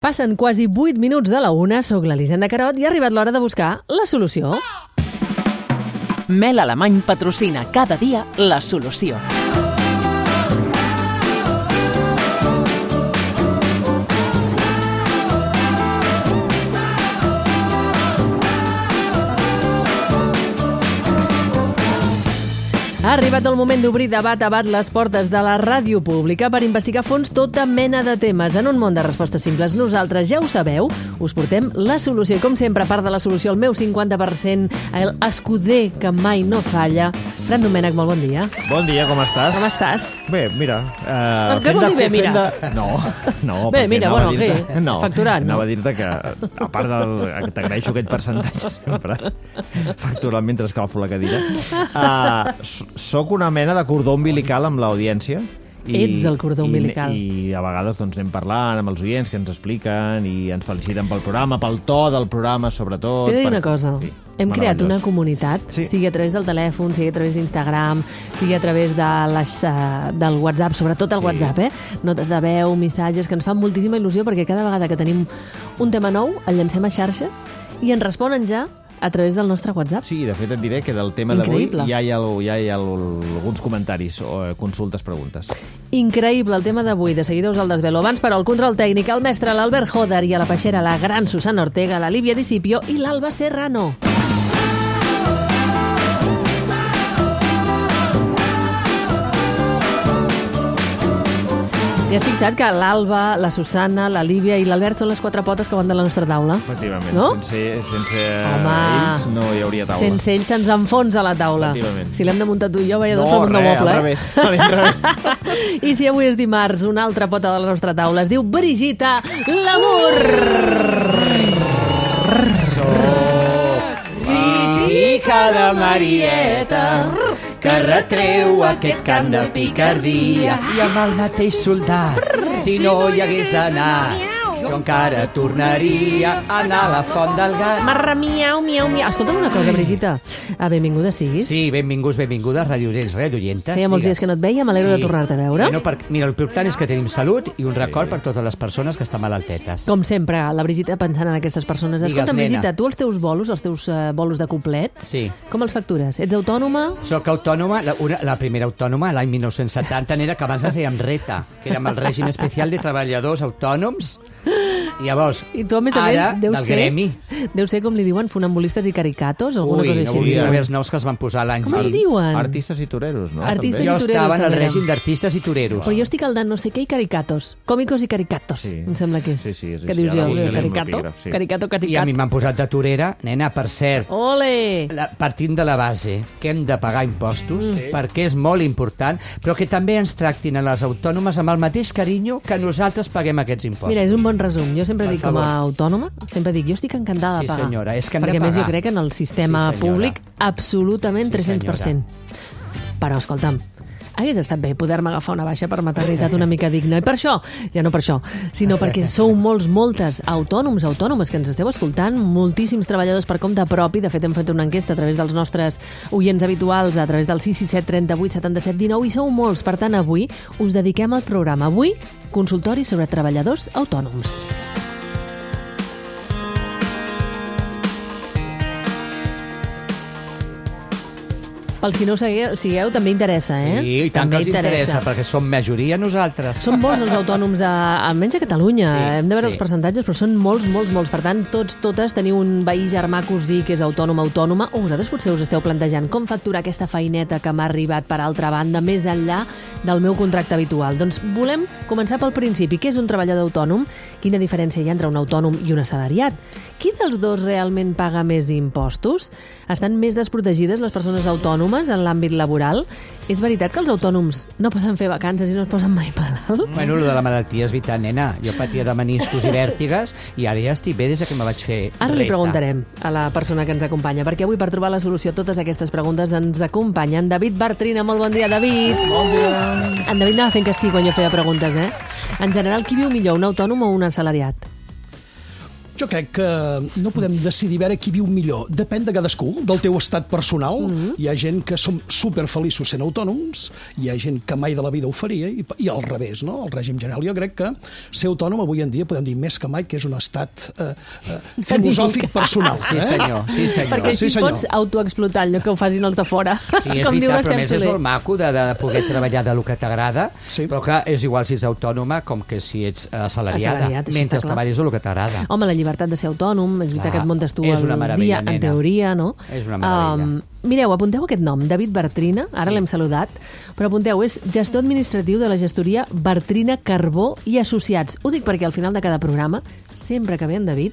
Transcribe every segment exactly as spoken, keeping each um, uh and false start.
Passen quasi vuit minuts de la una, soc l'Elisenda Carot i ha arribat l'hora de buscar la solució. Mel Alemany patrocina cada dia la solució. Ha arribat el moment d'obrir de bat a bat les portes de la ràdio pública per investigar a fons tota mena de temes. En un món de respostes simples, nosaltres, ja ho sabeu, us portem la solució. I com sempre, a part de la solució, el meu cinquanta per cent, el escuder que mai no falla. Fran Domènech, molt bon dia. Bon dia, com estàs? Com estàs? Bé, mira... Uh, què vol dir bé, mira? De... No, no. Bé, mira, bueno, què? No, facturant. Anava a dir-te que, a part del... que t'agraeixo aquest percentatge sempre, facturant mentre escalfo la cadira, uh, soc una mena de cordó umbilical amb l'audiència. I, Ets el cordó umbilical. I, I a vegades doncs, anem parlant amb els oients que ens expliquen i ens feliciten pel programa, pel to del programa, sobretot. T'he de dir per... una cosa. Sí, hem creat una comunitat, sí. sigui a través del telèfon, sigui a través d'Instagram, sigui a través de les, uh, del WhatsApp, sobretot el sí. WhatsApp, eh? Notes de veu, missatges, que ens fan moltíssima il·lusió perquè cada vegada que tenim un tema nou el llancem a xarxes i ens responen ja a través del nostre WhatsApp. Sí, de fet et diré que del tema d'avui ja hi ha, ja hi ha alguns comentaris o consultes, preguntes. Increïble el tema d'avui, de seguida us el desvelo. Abans, però, el control tècnic, el mestre, l'Albert Joder, i a la peixera, la gran Susana Ortega, la Lívia Discipio i l'Alba Serrano. I has fixat que l'Alba, la Susana, la Lívia i l'Albert són les quatre potes que van de la nostra taula? Efectivament. No? Sense, sense ells no hi hauria taula. Sense ells se'ns enfonsa la taula. Si l'hem de muntar tu i jo, veia dos no, tot un res, doble. al revés. I si avui és dimarts, una altra pota de la nostra taula es diu Brigitta Lamour. Soc rica de Marieta, que retreu aquest cant de picardia, i amb el mateix soldat, si no hi hagués anat, jo encara tornaria a anar a la font del gat. Marra, miau, miau, miau. Escolta'm una cosa, Brigitta. Ah, benvinguda siguis. Sí, benvinguts, benvingudes, radioients, radioientes. Feia molts dies que no et veia, m'alegro sí. de tornar-te a veure. Bueno, per, mira, el important és que tenim salut i un record per totes les persones que estan malaltetes. Com sempre, la Brigitta pensant en aquestes persones. Digues, Escolta, nena. Brigitta, tu els teus bolos, els teus uh, bolos de couplet, sí. com els factures? Ets autònoma? Soc autònoma, la, una, la primera autònoma l'any dinou setanta, n'era que abans es dèiem RETA, que érem el règim especial de treballadors autònoms. I llavors, I tu, a més a ara, més, deu del ser, gremi. Deu ser, com li diuen, funambulistes i caricatos, alguna Ui, cosa no així. volia saber els noms que els van posar l'any. Com els diuen? Artistes i toreros, no? Artistes També. i Jo toreros, estava en el també. règim d'artistes i toreros. Però jo estic al de no sé què i caricatos. Còmicos i caricatos, Sí. em sembla que és. Sí, sí, és Què així, dius ara jo? buscaré Caricato? l'epígraf, sí. Caricato, I a caricat. mi m'han posat de torera, nena, per cert. Ole! La, partint de la base que hem de pagar impostos, sí. perquè és molt important, però que també ens tractin a les autònomes amb el mateix carinyo que nosaltres paguem aquests impostos. Mira, és un bon resum. Jo sempre Per dic, com a favor. autònoma, sempre dic, jo estic encantada Sí, de pagar. senyora, és que hem de Perquè a més jo pagar. crec que en el sistema Sí, senyora. públic absolutament Sí, tres-cents per cent. Però, escolta'm, hagués estat bé poder-me agafar una baixa per maternitat una mica digna. I per això, ja no per això, sinó perquè sou molts, moltes autònoms, autònomes que ens esteu escoltant, moltíssims treballadors per compte propi. De fet, hem fet una enquesta a través dels nostres oients habituals, a través del sis sis set trenta vuit setanta-set dinou, i sou molts. Per tant, avui us dediquem al programa. Avui, consultori sobre treballadors autònoms. Pels qui no ho segueu, sigueu, també interessa, eh? Sí, i tant també que els interessa, perquè som majoria nosaltres. Són molts els autònoms, a, almenys a Catalunya. Sí, Hem de veure sí. els percentatges, però són molts, molts, molts. Per tant, tots, totes teniu un veí, germà, cosí que és autònom, autònoma, o vosaltres potser us esteu plantejant com facturar aquesta feineta que m'ha arribat per altra banda, més enllà del meu contracte habitual. Doncs volem començar pel principi. Què és un treballador autònom? Quina diferència hi ha entre un autònom i un assalariat? Qui dels dos realment paga més impostos? Estan més desprotegides les persones autònomes en l'àmbit laboral? És veritat que els autònoms no poden fer vacances i no es posen mai malalts? Bueno, lo de la malaltia és veritat, nena. Jo patia de meniscos i vèrtigues i ara ja estic bé des que me vaig fer Ara li reta. preguntarem a la persona que ens acompanya, perquè avui per trobar la solució a totes aquestes preguntes ens acompanya en David Bartrina. Molt bon dia, David. Bon dia. En David anava fent que sí quan jo feia preguntes, eh? En general, qui viu millor, un autònom o un assalariat? Jo crec que no podem decidir veure qui viu millor. Depèn de cadascú, del teu estat personal. Mm-hmm. Hi ha gent que som superfeliços sent autònoms, hi ha gent que mai de la vida ho faria, i, i al revés, no? El règim general. Jo crec que ser autònom avui en dia podem dir més que mai que és un estat eh, eh, filosòfic personal. Sí, senyor. Sí, senyor. Perquè així sí, senyor. pots autoexplotar allò que ho facin els de fora. Sí, és Com diu veritat, però Esther més és Soler. molt maco de, de poder treballar de lo que t'agrada, Sí. però clar, és igual si ets autònoma com que si ets assalariada, Assalariat, això mentre està clar. treballis de lo que t'agrada. Home, la llibertat de ser autònom, és veritat Clar, que et muntes tu és una el meravella, dia, en nena. teoria, no? És una meravella. mireu, apunteu aquest nom, David Bartrina, ara Sí. l'hem saludat, però apunteu, és gestor administratiu de la gestoria Bartrina Carbó i Associats. Ho dic perquè al final de cada programa, sempre que ve en David,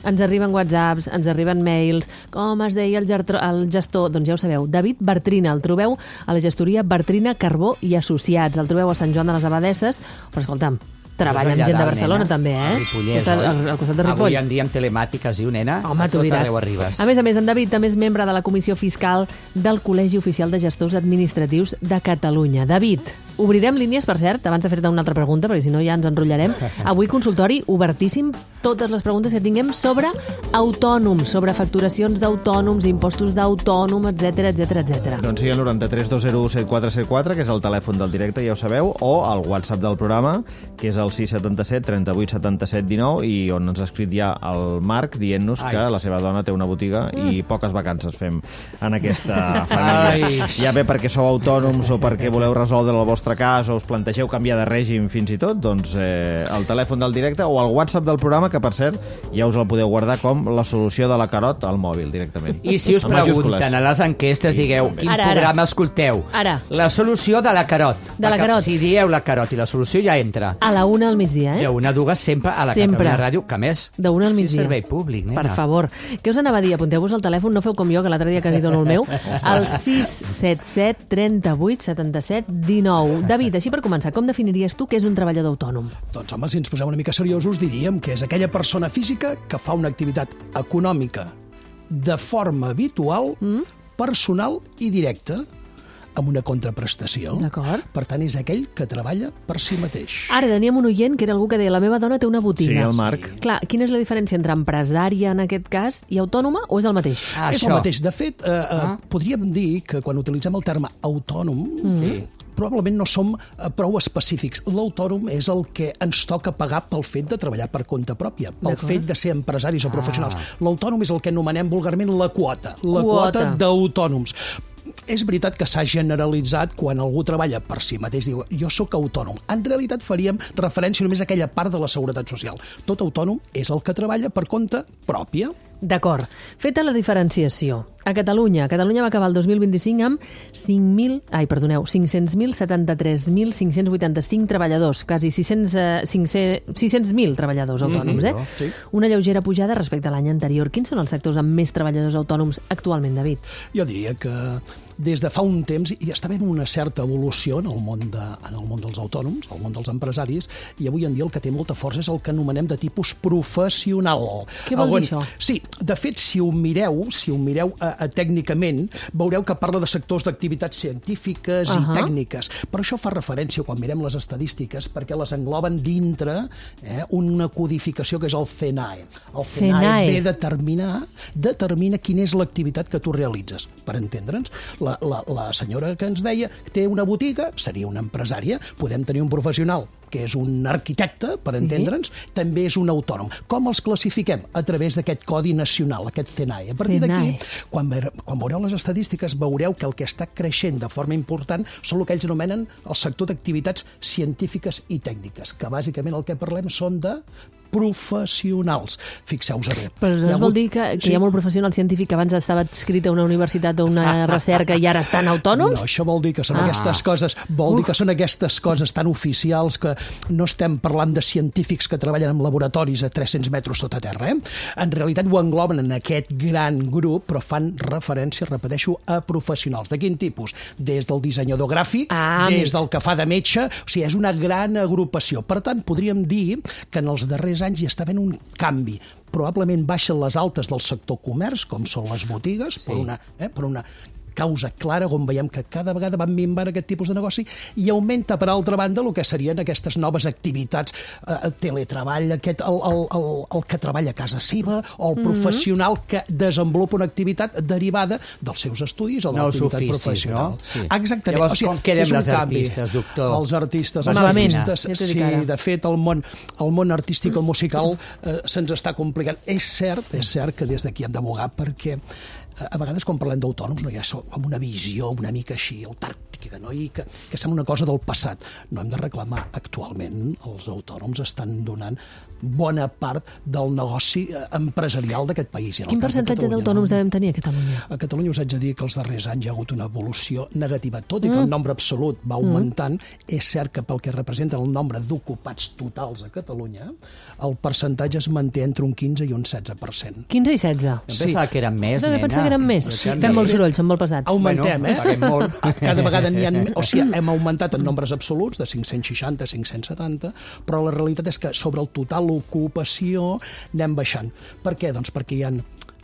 ens arriben whatsapps, ens arriben mails, com es deia el, gertro, el gestor, doncs ja ho sabeu, David Bartrina, el trobeu a la gestoria Bartrina Carbó i Associats, el trobeu a Sant Joan de les Abadesses, però escolta'm, treballa amb gent de Barcelona, també, eh? Ripollès, al, oi? al costat de Ripoll. Avui en dia amb telemàtiques, diu, nena, Home, a tu tot diràs. arreu arribes. A més a més, en David també és membre de la Comissió Fiscal del Col·legi Oficial de Gestors Administratius de Catalunya. David, obrirem línies, per cert, abans de fer-te una altra pregunta, perquè si no ja ens enrotllarem. Avui consultori obertíssim, totes les preguntes que tinguem sobre autònoms, sobre facturacions d'autònoms, impostos d'autònom, etcètera, etcètera, etcètera. Doncs sí, el noranta-tres dos zero u set quatre set quatre, que és el telèfon del directe, ja ho sabeu, o el WhatsApp del programa, que és el sis setanta-set trenta-vuit setanta-set dinou, i on ens ha escrit ja el Marc dient-nos Ai. que la seva dona té una botiga i poques vacances fem en aquesta família. Ai. Ja bé perquè sou autònoms o perquè voleu resoldre el vostre cas o us plantegeu canviar de règim fins i tot, doncs eh, el telèfon del directe o el WhatsApp del programa, que per cert ja us el podeu guardar com la solució de la Carot al mòbil directament. I si us Amb majúscules. pregunten a les enquestes, digueu quin Ara, ara. programa escolteu. Ara. La solució de la Carot. De la Perquè Carot. Si dieu la Carot i la solució ja entra. A la una al migdia, I eh? una dues sempre a la Sempre. Catalunya Ràdio, que a més De una al sí, migdia. servei públic, nena. Per favor. Què us anava a dir? Apunteu-vos al telèfon, no feu com jo, que l'altre dia quasi dono el meu, al sis set set trenta-vuit setanta-set dinou. David, així per començar, com definiries tu què és un treballador autònom? Doncs, home, si ens posem una mica seriosos, diríem que és aquella persona física que fa una activitat econòmica de forma habitual, mm? personal i directa, amb una contraprestació. D'acord. Per tant, és aquell que treballa per si mateix. Ara teníem un oient que era algú que deia la meva dona té una botiga. Sí, el Marc. Clar, quina és la diferència entre empresària, en aquest cas, i autònoma, o és el mateix? Ah, És això. el mateix. De fet, eh, eh, Ah. podríem dir que quan utilitzem el terme autònom, Sí. probablement no som eh, prou específics. L'autònom és el que ens toca pagar pel fet de treballar per compte pròpia, pel D'acord. fet de ser empresaris o professionals. Ah. L'autònom és el que anomenem vulgarment la quota, la Quota. quota d'autònoms. És veritat que s'ha generalitzat quan algú treballa per si mateix, diu, jo sóc autònom. En realitat faríem referència només a aquella part de la seguretat social. Tot autònom és el que treballa per compte pròpia. D'acord. Feta la diferenciació. A Catalunya, Catalunya va acabar el dos mil vint-i-cinc amb cinc mil, ai, perdoneu, cinc-cents mil setanta-tres mil cinc-cents vuitanta-cinc treballadors, quasi sis-cents mil treballadors autònoms, eh? Sí. Una lleugera pujada respecte a l'any anterior. Quins són els sectors amb més treballadors autònoms actualment, David? Jo diria que des de fa un temps hi està havent una certa evolució en el món, de, en el món dels autònoms, el món dels empresaris, i avui en dia el que té molta força és el que anomenem de tipus professional. Què vol On- dir això? Sí, de fet, si ho mireu, si ho mireu eh, eh, tècnicament, veureu que parla de sectors d'activitats científiques Ahà. i tècniques. Però això fa referència, quan mirem les estadístiques, perquè les engloben dintre eh, una codificació que és el C E N A E. El C E N A E C E N A E. ve determinar, determina quina és l'activitat que tu realitzes. Per entendre'ns, la, la, la senyora que ens deia té una botiga, seria una empresària, podem tenir un professional que és un arquitecte, per Sí. entendre'ns, també és un autònom. Com els classifiquem? A través d'aquest codi nacional, aquest C E N A E. A partir C E N A E. d'aquí, quan, ve- quan veureu les estadístiques, veureu que el que està creixent de forma important són el que ells anomenen el sector d'activitats científiques i tècniques, que bàsicament el que parlem són de professionals. Fixeu-vos bé. Però Hi ha això vol hagut- dir que, que Sí. hi ha molt professional científic que abans estava escrit a una universitat o una recerca i ara estan autònoms? No, això vol dir que són Ah. aquestes coses, vol dir que són aquestes coses tan oficials que no estem parlant de científics que treballen en laboratoris a tres-cents metres sota terra, eh? En realitat ho engloben en aquest gran grup, però fan referència, repeteixo, a professionals. De quin tipus? Des del dissenyador gràfic, Ah, des amic. del que fa de metge, o sigui, és una gran agrupació. Per tant, podríem dir que en els darrers anys hi està havent un canvi. Probablement baixen les altes del sector comerç, com són les botigues, sí. per, una, eh, per una causa clara on veiem que cada vegada van minvar aquest tipus de negoci i augmenta, per altra banda, el que serien aquestes noves activitats, eh, teletreball, aquest, el, el, el, el que treballa a casa seva o el professional que desenvolupa una activitat derivada dels seus estudis o de Nous l'activitat oficis, professional. no? Sí. Exactament. Llavors, o sigui, com quedem és un les canvi. artistes, doctor? Els artistes, els Malament, artistes, ja t'ho dic sí, ara. de fet, el món, el món artístic o musical eh, se'ns està complicant. És cert, és cert que des d'aquí hem d'abogar perquè eh, a vegades quan parlem d'autònoms no hi ha com una visió una mica així autàrtica, no? I que, que sembla una cosa del passat. No hem de reclamar. Actualment els autònoms estan donant bona part del negoci eh, empresarial d'aquest país. I en el Quin cas de percentatge Catalunya, d'autònoms no? devem tenir a Catalunya? A Catalunya us haig de dir que els darrers anys hi ha hagut una evolució negativa. Tot i que el nombre absolut va augmentant, és cert que pel que representa el nombre d'ocupats totals a Catalunya, el percentatge es manté entre un quinze i un setze per cent. quinze i setze. Em pensava que eren més, Jo nena. pensava que eren més. Sí, Fem molt soroll, són molt pesats. Augmentem, Bueno, eh? paguem molt. Cada vegada n'hi ha... O sigui, hem augmentat en nombres absoluts de cinc-cents seixanta a cinc-cents setanta, però la realitat és que sobre el total ocupació anem baixant. Per què? Doncs perquè hi ha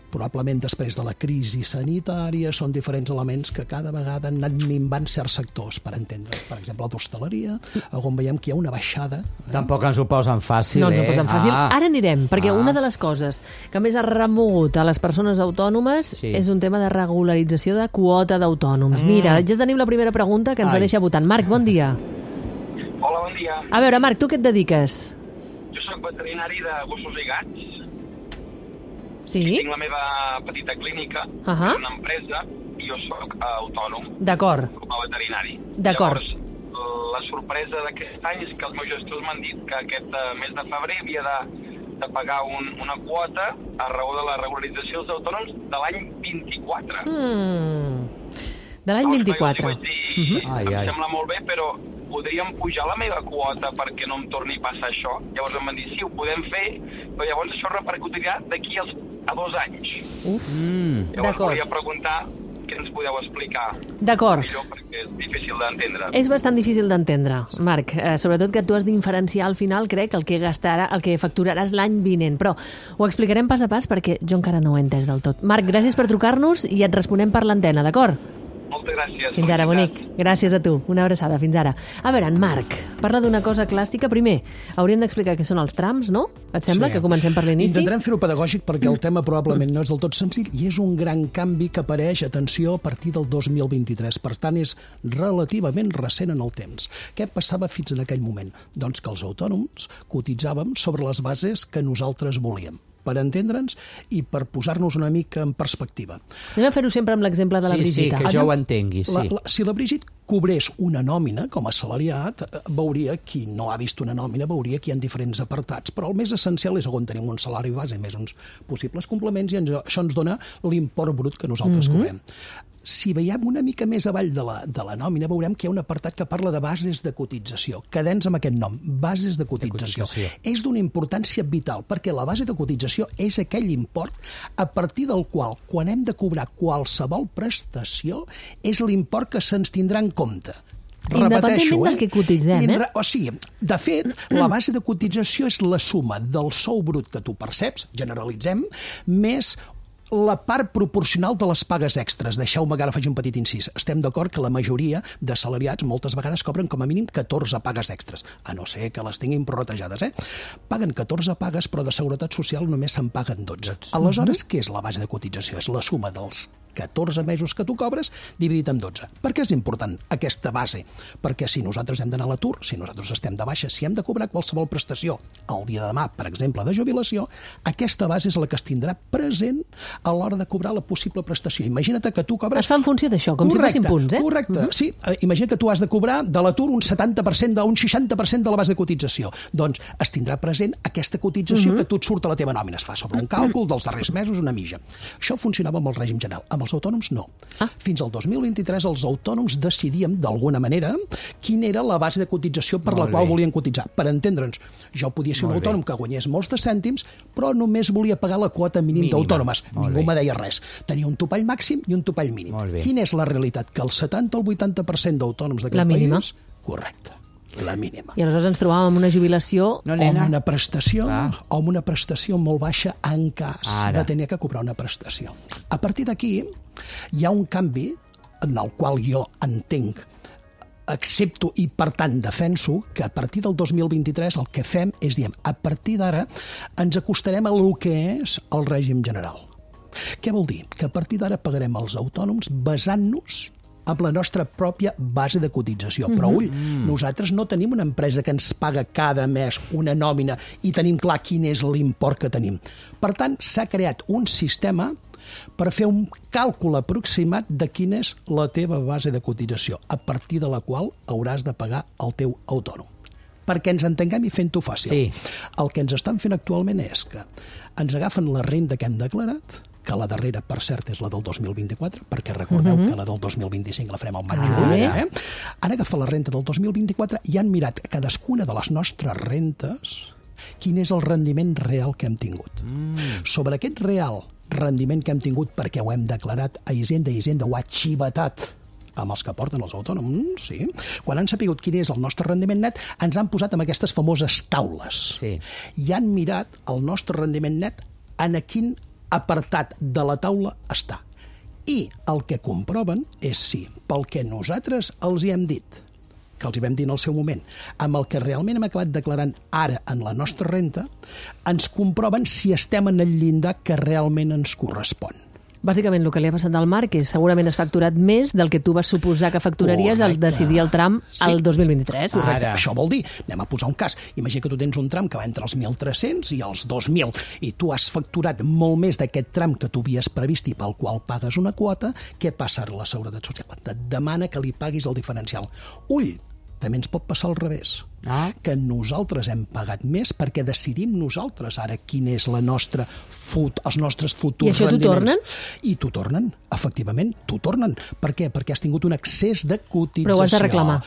probablement després de la crisi sanitària, són diferents elements que cada vegada han anat minvant certs sectors, per entendre. Per exemple, la d'hostaleria, on veiem que hi ha una baixada. Tampoc ens ho posen fàcil, No ens ho eh? posen fàcil. Ah. Ara anirem, perquè Ah. una de les coses que més ha remogut a les persones autònomes Sí. és un tema de regularització de quota d'autònoms. Mira, ja tenim la primera pregunta que ens la Ai. deixa votant. Marc, bon dia. Hola, bon dia. A veure, Marc, tu què et dediques? Jo sóc veterinari de gossos i gats. Sí? Tinc la meva petita clínica, Ahà. una empresa, i jo sóc autònom D'acord. com a veterinari. D'acord. Llavors, la sorpresa d'aquest any és que els meus gestors m'han dit que aquest eh, mes de febrer havia de, de pagar un, una quota a raó de la regularització dels autònoms de l'any vint-i-quatre. Mm. De l'any Llavors, vint-i-quatre. jo els vaig dir, Ai, em ai. sembla molt bé, però podríem pujar la meva quota perquè no em torni a passar això. Llavors em van dir, sí, ho podem fer, però llavors això repercutirà d'aquí als, a dos anys. Uf. Mm. Llavors D'acord. volia preguntar què ens podeu explicar D'acord. millor, perquè és difícil d'entendre. És bastant difícil d'entendre, Marc. Eh, sobretot que tu has d'inferenciar al final, crec, el que gastarà, el que facturaràs l'any vinent. Però ho explicarem pas a pas perquè jo encara no ho he entès del tot. Marc, gràcies per trucar-nos i et responem per l'antena, d'acord? Moltes gràcies. Fins ara, bonic. Felicitats. Gràcies a tu. Una abraçada. Fins ara. A veure, en Marc, parla d'una cosa clàssica. Primer, hauríem d'explicar què són els trams, no? Et sembla Sí. que comencem per l'inici? Intentarem fer-ho pedagògic perquè el tema probablement no és del tot senzill i és un gran canvi que apareix, atenció, a partir del dos mil vint-i-tres. Per tant, és relativament recent en el temps. Què passava fins en aquell moment? Doncs que els autònoms cotitzàvem sobre les bases que nosaltres volíem, per entendre'ns i per posar-nos una mica en perspectiva. Anem a fer-ho sempre amb l'exemple de la Sí, sí, Brigitte. que jo ho entengui, sí. La, la, si la Brigitte cobrés una nòmina com a assalariat, eh, veuria, qui no ha vist una nòmina, veuria que hi ha diferents apartats, però el més essencial és on tenim un salari base més uns possibles complements i ens, això ens dona l'import brut que nosaltres mm-hmm. cobrem. Si veiem una mica més avall de la, de la nòmina, veurem que hi ha un apartat que parla de bases de cotització. Quedem-nos amb aquest nom, bases de cotització. De cotització. És d'una importància vital, perquè la base de cotització és aquell import a partir del qual, quan hem de cobrar qualsevol prestació, és l'import que se'ns tindrà en compte. Independentment del que cotitzem, eh? Inre- O sigui, de fet, la base de cotització és la suma del sou brut que tu perceps, generalitzem, més la part proporcional de les pagues extres. Deixeu-me que ara faig un petit incís. Estem d'acord que la majoria de salariats moltes vegades cobren com a mínim catorze pagues extres, a no ser que les tinguin prorratejades, eh? Paguen catorze pagues, però de Seguretat Social només se'n paguen dotze. Aleshores, què és la base de cotització? És la suma dels catorze mesos que tu cobres dividit amb dotze. Per què és important aquesta base? Perquè si nosaltres hem d'anar a l'atur, si nosaltres estem de baixa, si hem de cobrar qualsevol prestació el dia de demà, per exemple, de jubilació, aquesta base és la que es tindrà present a l'hora de cobrar la possible prestació. Imagina't que tu cobres... Es fa en funció d'això, com correcte, si fossin punts, eh? Correcte, uh-huh. sí. Eh, imagina que tu has de cobrar de l'atur un setanta per cent, un seixanta per cent de la base de cotització. Doncs es tindrà present aquesta cotització uh-huh. que tu et surt a la teva nòmina. Es fa sobre un càlcul dels darrers mesos, una mitja. Això funcionava amb el règim general. Amb els autònoms, no. Ah. Fins al dos mil vint-i-tres els autònoms decidíem, d'alguna manera, quina era la base de cotització per Molt la qual bé. volien cotitzar. Per entendre'ns, jo podia ser un Molt bé. autònom que guanyés molts de cèntims, però només volia pagar la quota mínim Mínima. d'autònomes. Molt Ningú bé. me deia res. Tenia un topall màxim i un topall mínim. Molt bé. Quina és la realitat? Que el setanta al vuitanta per cent d'autònoms d'aquest La mínima. país... Correcte, la mínima. I aleshores ens trobàvem amb una jubilació... No, O amb nena? una prestació, Clar. o amb una prestació molt baixa en cas Ara. de tenir que cobrar una prestació. A partir d'aquí, hi ha un canvi en el qual jo entenc, accepto i, per tant, defenso que a partir del dos mil vint-i-tres el que fem és, diem, a partir d'ara ens acostarem a lo que és el règim general. Què vol dir? Que a partir d'ara pagarem els autònoms basant-nos amb la nostra pròpia base de cotització. Però, ull, nosaltres no tenim una empresa que ens paga cada mes una nòmina i tenim clar quin és l'import que tenim. Per tant, s'ha creat un sistema per fer un càlcul aproximat de quina és la teva base de cotització, a partir de la qual hauràs de pagar el teu autònom. Perquè ens entenguem i fent-ho fàcil. Sí. El que ens estan fent actualment és que ens agafen la renda que hem declarat, que la darrera, per cert, és la del dos mil vint-i-quatre, perquè recordeu uh-huh. que la del dos mil vint-i-cinc la farem al maig. Ah, eh? Han agafat la renta del dos mil vint-i-quatre i han mirat cadascuna de les nostres rentes quin és el rendiment real que hem tingut. Mm. Sobre aquest real rendiment que hem tingut perquè ho hem declarat a Hisenda, i Hisenda ho ha xivatat amb els que porten els autònoms, sí. Quan han sapigut quin és el nostre rendiment net, ens han posat amb aquestes famoses taules. Sí. I han mirat el nostre rendiment net en a quin apartat de la taula està. I el que comproven és si, pel que nosaltres els hi hem dit, que els hi vam dir en el seu moment, amb el que realment hem acabat declarant ara en la nostra renta, ens comproven si estem en el llindar que realment ens correspon. Bàsicament, el que li ha passat al Marc és segurament has facturat més del que tu vas suposar que facturaries al decidir el tram Sí. al dos mil vint-i-tres. Correcte. Ara. Això vol dir, anem a posar un cas, imagina que tu tens un tram que va entre els mil tres-cents i els dos mil, i tu has facturat molt més d'aquest tram que tu havies previst i pel qual pagues una quota, què passa a la Seguretat Social? Et demana que li paguis el diferencial. Ull, també ens pot passar al revés. Ah. Que nosaltres hem pagat més perquè decidim nosaltres ara quin és la nostra fut, els nostres futurs I això t'ho rendiments. tornen? I t'ho tornen, efectivament, t'ho tornen. Per què? Perquè has tingut un excés de cotització. Però ho has de reclamar.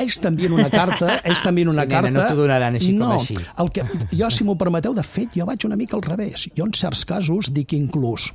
Ells t'envien una carta, ells t'envien una Sí, nena, carta... no t'ho donaran així com no, així. El que, jo, si m'ho permeteu, de fet, jo vaig una mica al revés. Jo, en certs casos, dic inclús...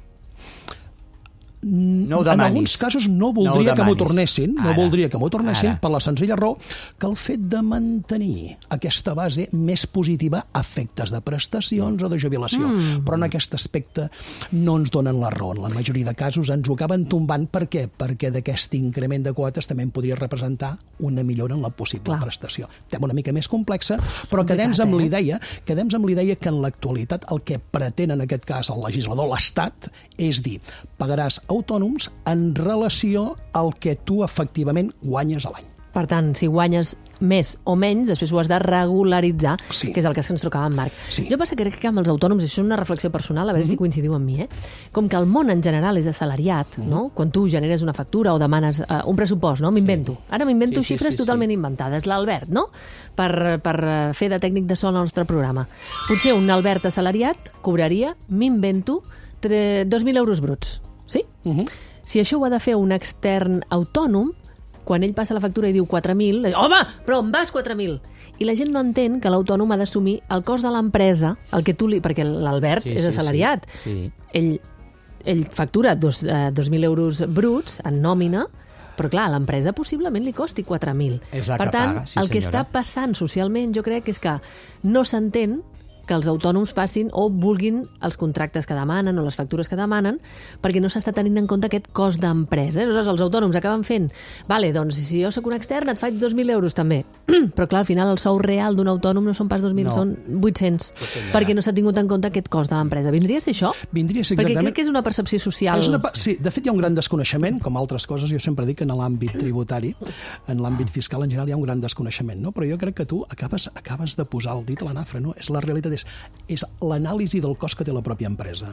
No ho en demanis. alguns casos no voldria No ho que m'ho demanis. tornessin, no Ara. voldria que m'ho tornessin Ara. per la senzilla raó que el fet de mantenir aquesta base més positiva a efectes de prestacions o de jubilació. Mm. Però en aquest aspecte no ens donen la raó. En la majoria de casos ens ho acaben tombant. Per què? Perquè d'aquest increment de quotes també en podria representar una millora en la possible Clar. prestació. Tema una mica més complexa, però quedem amb eh? la idea, quedem amb la idea que en l'actualitat el que pretén en aquest cas el legislador, l'Estat, és dir, pagaràs autònoms en relació al que tu efectivament guanyes a l'any. Per tant, si guanyes més o menys, després ho has de regularitzar, Sí. que és el que ens trocava en Marc. Sí. Jo passa que crec que amb els autònoms, això és una reflexió personal, a veure mm-hmm. si coincidiu amb mi, eh? Com que el món en general és assalariat, mm-hmm. no? Quan tu generes una factura o demanes uh, un pressupost, no? M'invento. Sí. Ara m'invento Sí, sí, xifres sí, totalment sí. inventades. L'Albert, no? Per, per uh, fer de tècnic de so al nostre programa. Potser un Albert assalariat cobraria, m'invento, dos mil euros bruts. Sí? Uh-huh. Si això ho ha de fer un extern autònom, quan ell passa la factura i diu quatre mil, home, però em vas quatre mil. I la gent no entén que l'autònom ha d'assumir el cost de l'empresa, el que tu li... perquè l'Albert Sí, és sí, assalariat. sí, sí. Ell, ell factura dos, eh, dos mil euros bruts en nòmina, però clar, a l'empresa possiblement li costi quatre mil. És la per que tant, paga, sí, el que senyora. està passant socialment, jo crec, és que no s'entén que els autònoms passin o vulguin els contractes que demanen o les factures que demanen, perquè no s'està tenint en compte aquest cost d'empresa. Aleshores, els autònoms acaben fent, vale, doncs si jo sóc un extern et faig dos mil euros també. Però clar, al final el sou real d'un autònom no són pas dos mil, No. són vuit-cents, perquè no s'ha tingut en compte aquest cost de l'empresa. Vindria a ser això? Vindria a ser Perquè exactament... crec que és una percepció social. És una, pa- sí, de fet hi ha un gran desconeixement, com altres coses, jo sempre dic que en l'àmbit tributari, en l'àmbit fiscal en general hi ha un gran desconeixement, no? Però jo crec que tu acabes, acabes de posar el dit a la nafra, no? És la realitat, és, és l'anàlisi del cost que té la pròpia empresa.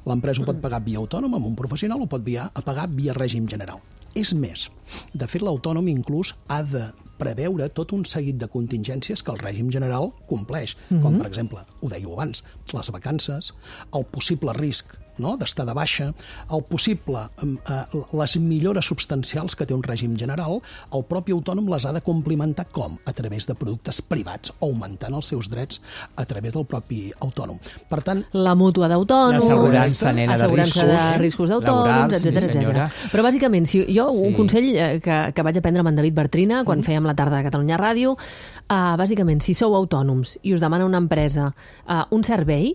L'empresa ho pot pagar via autònom, amb un professional, o pot via, a pagar via règim general. És més, de fet l'autònom inclús ha de preveure tot un seguit de contingències que el règim general compleix, mm-hmm. com per exemple, ho dèieu abans, les vacances, el possible risc no? d'estar de baixa, el possible, eh, les millores substancials que té un règim general, el propi autònom les ha de complimentar com? A través de productes privats, augmentant els seus drets a través del propi autònom. Per tant, La mútua d'autònoms, L'assegurança, nena, de assegurança de riscos, riscos d'autònoms, laborals, sí, etcètera, senyora. etcètera. Però bàsicament, si jo un Sí. consell eh, que, que vaig aprendre amb en David Bartrina quan mm. fèiem la tarda de Catalunya Ràdio, uh, bàsicament, si sou autònoms i us demana una empresa uh, un servei,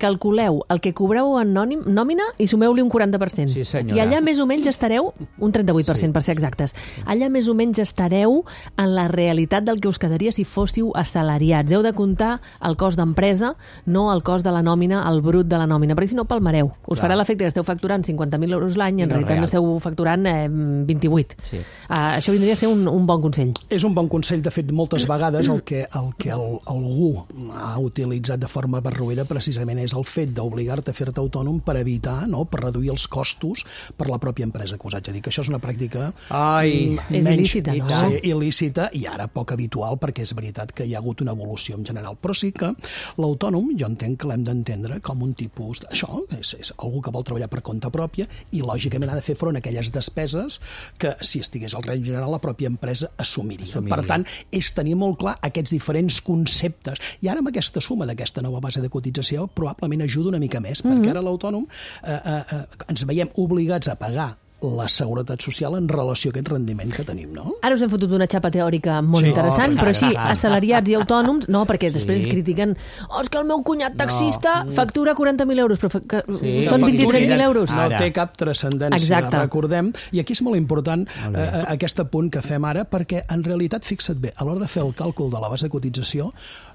calculeu el que cobreu en nònim- nòmina i sumeu-li un quaranta per cent. Sí, senyora. I allà més o menys estareu, un trenta-vuit per cent sí. per ser exactes, allà més o menys estareu en la realitat del que us quedaria si fóssiu assalariats. Heu de comptar el cost d'empresa, no el cost de la nòmina, el brut de la nòmina, perquè si no palmareu. Us Clar. farà l'efecte que esteu facturant cinquanta mil euros l'any i en No, realitat real. esteu facturant eh, vint-i-vuit. Sí. Uh, això vindria a ser un, un bon consell. És un bon consell, de fet, moltes vegades el que, el que el, algú ha utilitzat de forma barroera precisament és el fet d'obligar-te a fer-te autònom per evitar, no?, per reduir els costos per la pròpia empresa, que us haig de dir que això és una pràctica Ai, mm, és il·lícita, i no? tant. Sí, il·lícita i ara poc habitual, perquè és veritat que hi ha hagut una evolució en general. Però sí que l'autònom jo entenc que l'hem d'entendre com un tipus... De... Això és, és algú que vol treballar per compte pròpia i, lògicament, ha de fer front a aquelles despeses que, si estigués al règim general, la pròpia empresa assumiria. Assumiria. Per tant, és tenir molt clar aquests diferents conceptes. I ara, amb aquesta suma d'aquesta nova base de cotització, probablement ajuda una mica més, perquè ara l'autònom eh, eh, eh, ens veiem obligats a pagar la seguretat social en relació a aquest rendiment que tenim, no? Ara us hem fotut una xapa teòrica molt Sí. interessant, Oh, però així, interessant. assalariats i autònoms, no, perquè Sí. després critiquen oh, és que el meu cunyat taxista factura quaranta mil euros, però fa, que, Sí. són Que vint-i-tres mil facturin. euros. No Ara. té cap transcendència, Exacte. recordem. I aquí és molt important Molt bé. eh, aquest apunt que fem ara, perquè en realitat, fixa't bé, a l'hora de fer el càlcul de la base de cotització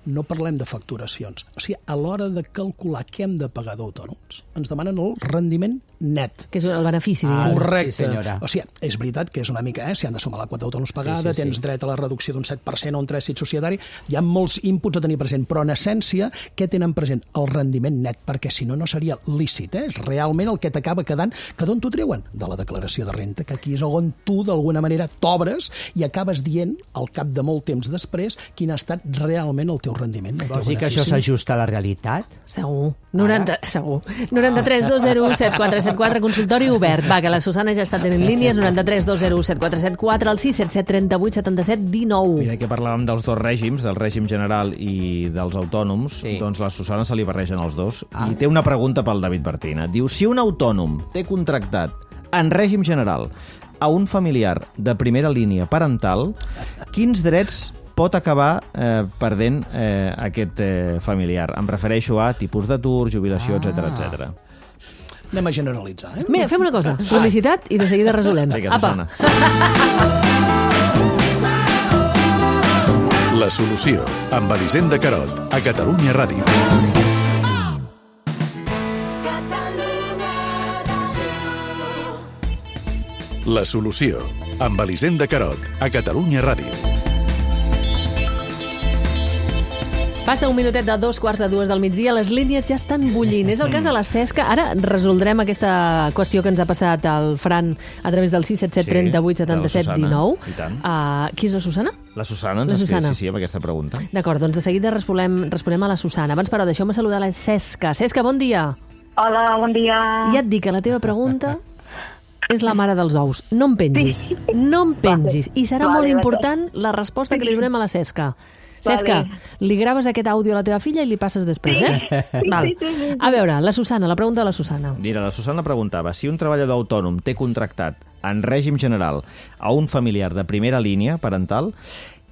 no parlem de facturacions. O sigui, a l'hora de calcular què hem de pagar d'autònoms, ens demanen el rendiment net. Que és el benefici, Ah, diguem. Correcte. sí, senyora. O sigui, és veritat que és una mica, eh? S'hi han de sumar la quota d'autònoms pagada, Sí, sí, sí. tens dret a la reducció d'un set per cent o un trànsit societari, hi ha molts inputs a tenir present, però en essència, què tenen present? El rendiment net, perquè si no, no seria lícit, eh? És realment el que t'acaba quedant, que d'on t'ho treuen? De la declaració de renta, que aquí és on tu, d'alguna manera, t'obres i acabes dient, al cap de molt temps després, quin ha estat realment el teu rendiment. El teu Vols dir que això benefici. s'ajusta a la realitat? Segur. noranta, segur. noranta-tres dos zero u set quatre set quatre, consultori obert. Va, que la Susana ja està tenint línies, noranta-tres dos zero u set quatre set quatre, al sis set set tres vuit set set un nou. Mira que parlàvem dels dos règims, del règim general i dels autònoms, Sí. doncs la Susana se li barregen els dos. Ah. I té una pregunta pel David Martina. Diu, si un autònom té contractat en règim general a un familiar de primera línia parental, quins drets pot acabar eh, perdent eh, aquest eh, familiar? Em refereixo a tipus d'atur, jubilació, Ah. etcètera, etcètera. Anem a generalitzar, eh? Mira, fem una cosa, publicitat i de seguida resolem. Vinga, Apa. Susana. La solució, amb Elisenda Carot, a Catalunya Ràdio. La solució, amb Elisenda Carot, a Catalunya Ràdio. Passa un minutet de dos quarts de dues del migdia, les línies ja estan bullint. És el cas de la Cesca. Ara resoldrem aquesta qüestió que ens ha passat el Fran a través del sis set set tres vuit set set un nou. I tant. Uh, qui és la Susana? La Susana ens La ha escrit, Susana. sí, sí, amb aquesta pregunta. D'acord, doncs de seguida responem, responem a la Susana. Abans, però, deixeu-me saludar la Cesca. Cesca, bon dia. Hola, bon dia. Ja et dic que la teva pregunta és la mare dels ous. No em pengis. No em pengis. I serà Vale, molt vale. important la resposta que li donem a la Cesca. Cesca, li graves aquest àudio a la teva filla i li passes després, eh? Val. sí, sí, sí. A veure, la Susana, la pregunta de la Susana. Mira, la Susana preguntava si un treballador autònom té contractat en règim general a un familiar de primera línia parental,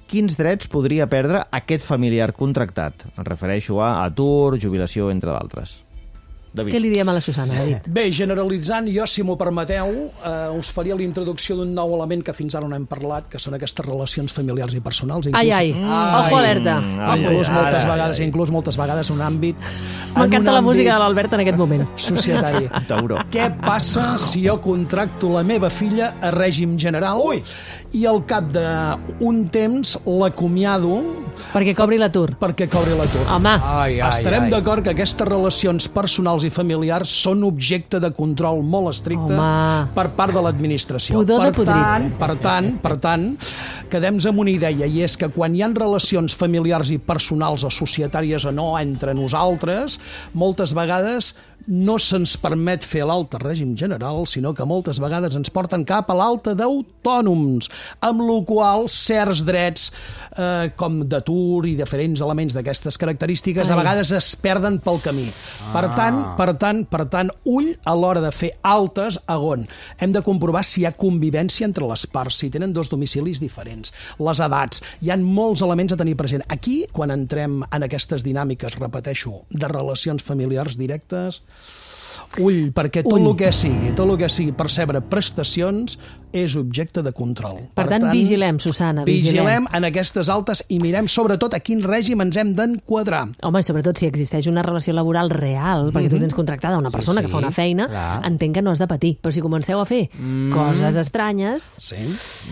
quins drets podria perdre aquest familiar contractat? Em refereixo a atur, jubilació, entre d'altres. David. Què li diem a la Susana, David? Bé, generalitzant, jo, si m'ho permeteu, eh, us faria la introducció d'un nou element que fins ara no hem parlat, que són aquestes relacions familiars i personals. Ai, ai, ojo alerta. Mm, ai, Ojo. Inclús ai, moltes ai, vegades, ai. inclús moltes vegades un àmbit... M'encanta en la un música de àmbit l'Albert en aquest moment. societari. Tauró. Què passa si jo contracto la meva filla a règim general Ui. i al cap d'un temps l'acomiado Perquè cobri l'atur. perquè cobri l'atur? Home, Ai, ai, Estarem ai. d'acord que aquestes relacions personals i familiars són objecte de control molt estricte Home. per part de l'administració. Pudor de Per podrit. tant, per tant, per tant, quedem-nos amb una idea, i és que quan hi ha relacions familiars i personals o societàries o no entre nosaltres, moltes vegades no se'ns permet fer l'alta règim general, sinó que moltes vegades ens porten cap a l'alta d'autònoms, amb la qual certs drets eh, com d'atur i diferents elements d'aquestes característiques Ai. a vegades es perden pel camí. Per tant, per tant, per tant, ull a l'hora de fer altes a on hem de comprovar si hi ha convivència entre les parts, si tenen dos domicilis diferents, les edats, hi ha molts elements a tenir present. Aquí, quan entrem en aquestes dinàmiques, repeteixo, de relacions familiars directes, ull, perquè tot el que sigui, tot el que sigui percebre prestacions és objecte de control. Per, per tant, tant, vigilem, Susana, vigilem. Vigilem en aquestes altes i mirem sobretot a quin règim ens hem d'enquadrar. Home, i sobretot si existeix una relació laboral real, perquè tu tens contractada una persona sí, sí, que fa una feina, clar. Entenc que no has de patir. Però si comenceu a fer mm. coses estranyes, sí.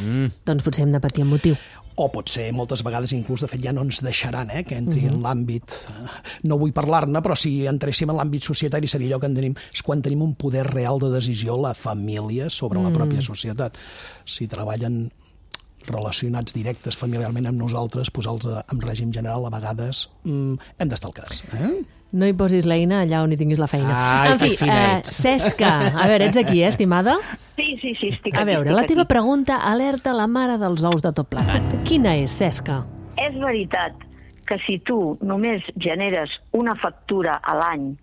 mm. doncs potser hem de patir amb motiu. O potser moltes vegades inclús, de fet, ja no ens deixaran eh, que entri uh-huh. en l'àmbit... No vull parlar-ne, però si entréssim en l'àmbit societari seria allò que en tenim, és quan tenim un poder real de decisió la família sobre mm. la pròpia societat. Si treballen relacionats directes familiarment amb nosaltres, posar-los en règim general, a vegades mm, hem d'estar al cas. Eh? No hi posis l'eina allà on hi tinguis la feina. Ai, en fi, eh, Cesca, a veure, ets aquí, eh, estimada? Sí, sí, sí, estic aquí. A veure, la teva pregunta alerta la mare dels ous de tot plegat. Quina és, Cesca? És veritat que si tu només generes una factura a l'any,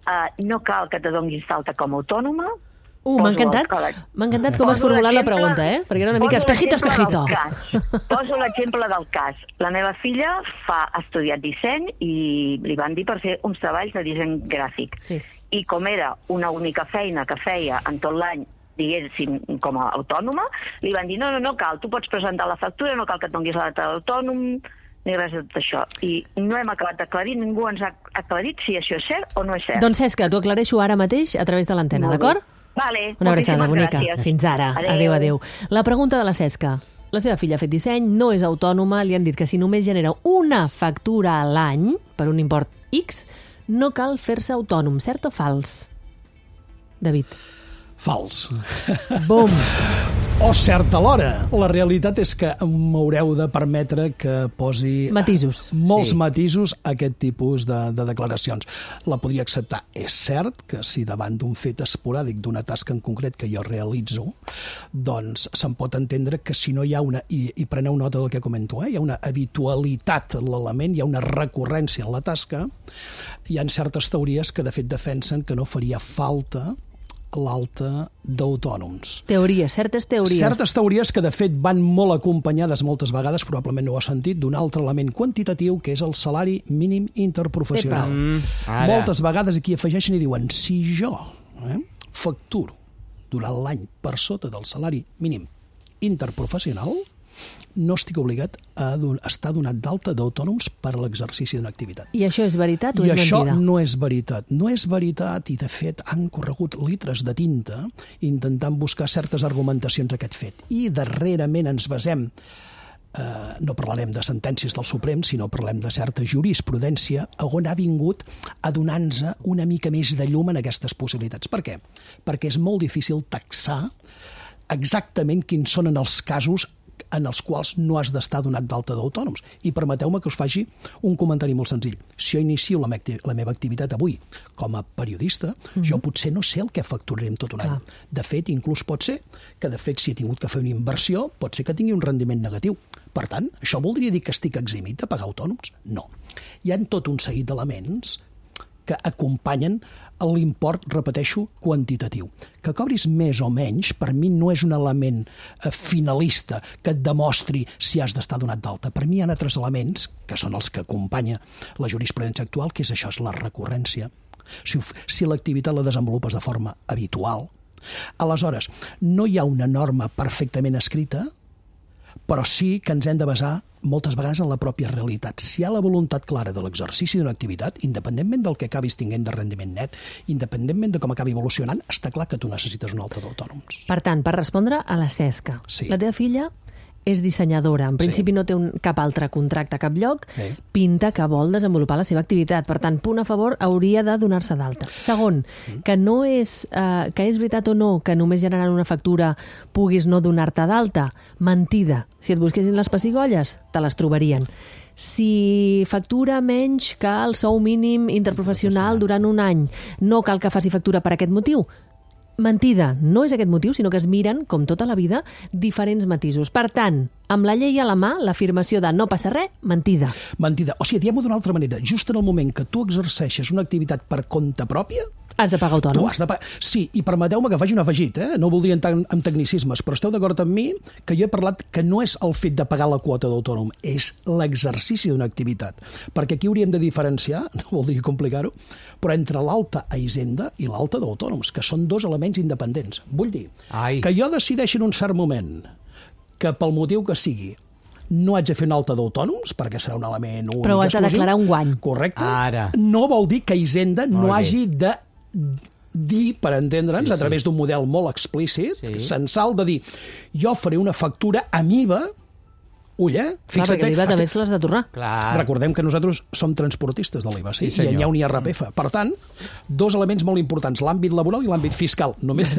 eh, no cal que te donis d'alta com a autònoma? Uh, m'ha encantat, m'ha encantat com has formulat la pregunta, eh? Perquè era una mica espejito, espejito. Poso l'exemple del cas. La meva filla fa ha estudiat disseny i li van dir per fer uns treballs de disseny gràfic. Sí. I com era una única feina que feia en tot l'any, diguéssim, com a autònoma, li van dir, no, no, no cal, tu pots presentar la factura, no cal que et donis la data d'autònom, ni res de tot això. I no hem acabat d'aclarir, ningú ens ha aclarit si això és cert o no és cert. Doncs Cesca, t'ho aclareixo ara mateix a través de l'antena, d'acord? Vale, una abraçada bonica. Gràcies. Fins ara. Adéu. adéu, adéu. La pregunta de la Cesca. La seva filla ha fet disseny, no és autònoma, li han dit que si només genera una factura a l'any, per un import X, no cal fer-se autònom. Cert o fals? David. Fals. Bum. O cert alhora. La realitat és que m'haureu de permetre que posi matisos. molts sí. matisos a aquest tipus de, de declaracions. La podria acceptar. És cert que si davant d'un fet esporàdic, d'una tasca en concret que jo realitzo, doncs se'n pot entendre que si no hi ha una, i, i preneu nota del que comento, eh? Hi ha una habitualitat en l'element, hi ha una recurrència en la tasca, hi ha certes teories que de fet defensen que no faria falta l'alta d'autònoms. Teories, certes teories. Certes teories que, de fet, van molt acompanyades moltes vegades, probablement no ho has sentit, d'un altre element quantitatiu, que és el salari mínim interprofessional. Mm, moltes vegades aquí afegeixen i diuen, si jo eh, facturo durant l'any per sota del salari mínim interprofessional, no estic obligat a don- estar donat d'alta d'autònoms per a l'exercici d'una activitat. I això és veritat o I és mentida? I això no és veritat. No és veritat i, de fet, han corregut litres de tinta intentant buscar certes argumentacions a aquest fet. I darrerament ens basem, eh, no parlarem de sentències del Suprem, sinó parlem de certa jurisprudència on ha vingut a donar-nos una mica més de llum en aquestes possibilitats. Per què? Perquè és molt difícil taxar exactament quins són en els casos en els quals no has d'estar donat d'alta d'autònoms. I permeteu-me que us faci un comentari molt senzill. Si jo inicio la, me- la meva activitat avui com a periodista, mm-hmm. jo potser no sé el que facturaré en tot un any. De fet, inclús pot ser que, de fet, si he tingut que fer una inversió, pot ser que tingui un rendiment negatiu. Per tant, això voldria dir que estic eximit de pagar autònoms? No. Hi ha tot un seguit d'elements que acompanyen l'import, repeteixo, quantitatiu. Que cobris més o menys, per mi no és un element eh, finalista que et demostri si has d'estar donat d'alta. Per mi hi ha altres elements, que són els que acompanya la jurisprudència actual, que és això, és la recurrència. Si, si l'activitat la desenvolupes de forma habitual, aleshores, no hi ha una norma perfectament escrita, però sí que ens hem de basar moltes vegades en la pròpia realitat. Si hi ha la voluntat clara de l'exercici d'una activitat, independentment del que acabis tinguent de rendiment net, independentment de com acabi evolucionant, està clar que tu necessites un altre d'autònoms. Per tant, per respondre a la Cesca, sí. La teva filla és dissenyadora. En principi sí. no té un, cap altre contracte a cap lloc, sí. Pinta que vol desenvolupar la seva activitat. Per tant, punt a favor, hauria de donar-se d'alta. Segon, mm. que no és, eh, que és veritat o no que només generant una factura puguis no donar-te d'alta. Mentida. Si et busquessin les pessigolles, te les trobarien. Si factura menys que el sou mínim interprofessional durant un any, no cal que faci factura per aquest motiu. mentida. No és aquest motiu, sinó que es miren, com tota la vida, diferents matisos. Per tant, amb la llei a la mà, l'afirmació de no passa res, mentida. Mentida. O sigui, diguem-ho d'una altra manera. Just en el moment que tu exerceixes una activitat per compte pròpia, has de pagar autònoms. Tu has de pagar. Sí, i permeteu-me que faci un afegit, eh? No voldria entrar en tecnicismes, però esteu d'acord amb mi que jo he parlat que no és el fet de pagar la quota d'autònom, és l'exercici d'una activitat. Perquè aquí hauríem de diferenciar, no voldria complicar-ho, però entre l'alta a Hisenda i l'alta d'autònoms, que són dos elements independents. Vull dir, Ai. que jo decideixi en un cert moment que pel motiu que sigui no haig de fer una alta d'autònoms, perquè serà un element únic. Però has de declarar un guany. Correcte. Ara. No vol dir que Hisenda Molt no bé. hagi de dir, per entendre'ns, sí, sí. a través d'un model molt explícit, sí. censal, de dir, jo faré una factura amb I V A. Ull, eh? Clar, perquè l'I V A també se l'has de tornar. Clar. Recordem que nosaltres som transportistes de l'I V A, sí? sí i n'hi ha un I R P F. Per tant, dos elements molt importants, l'àmbit laboral i l'àmbit fiscal. Només...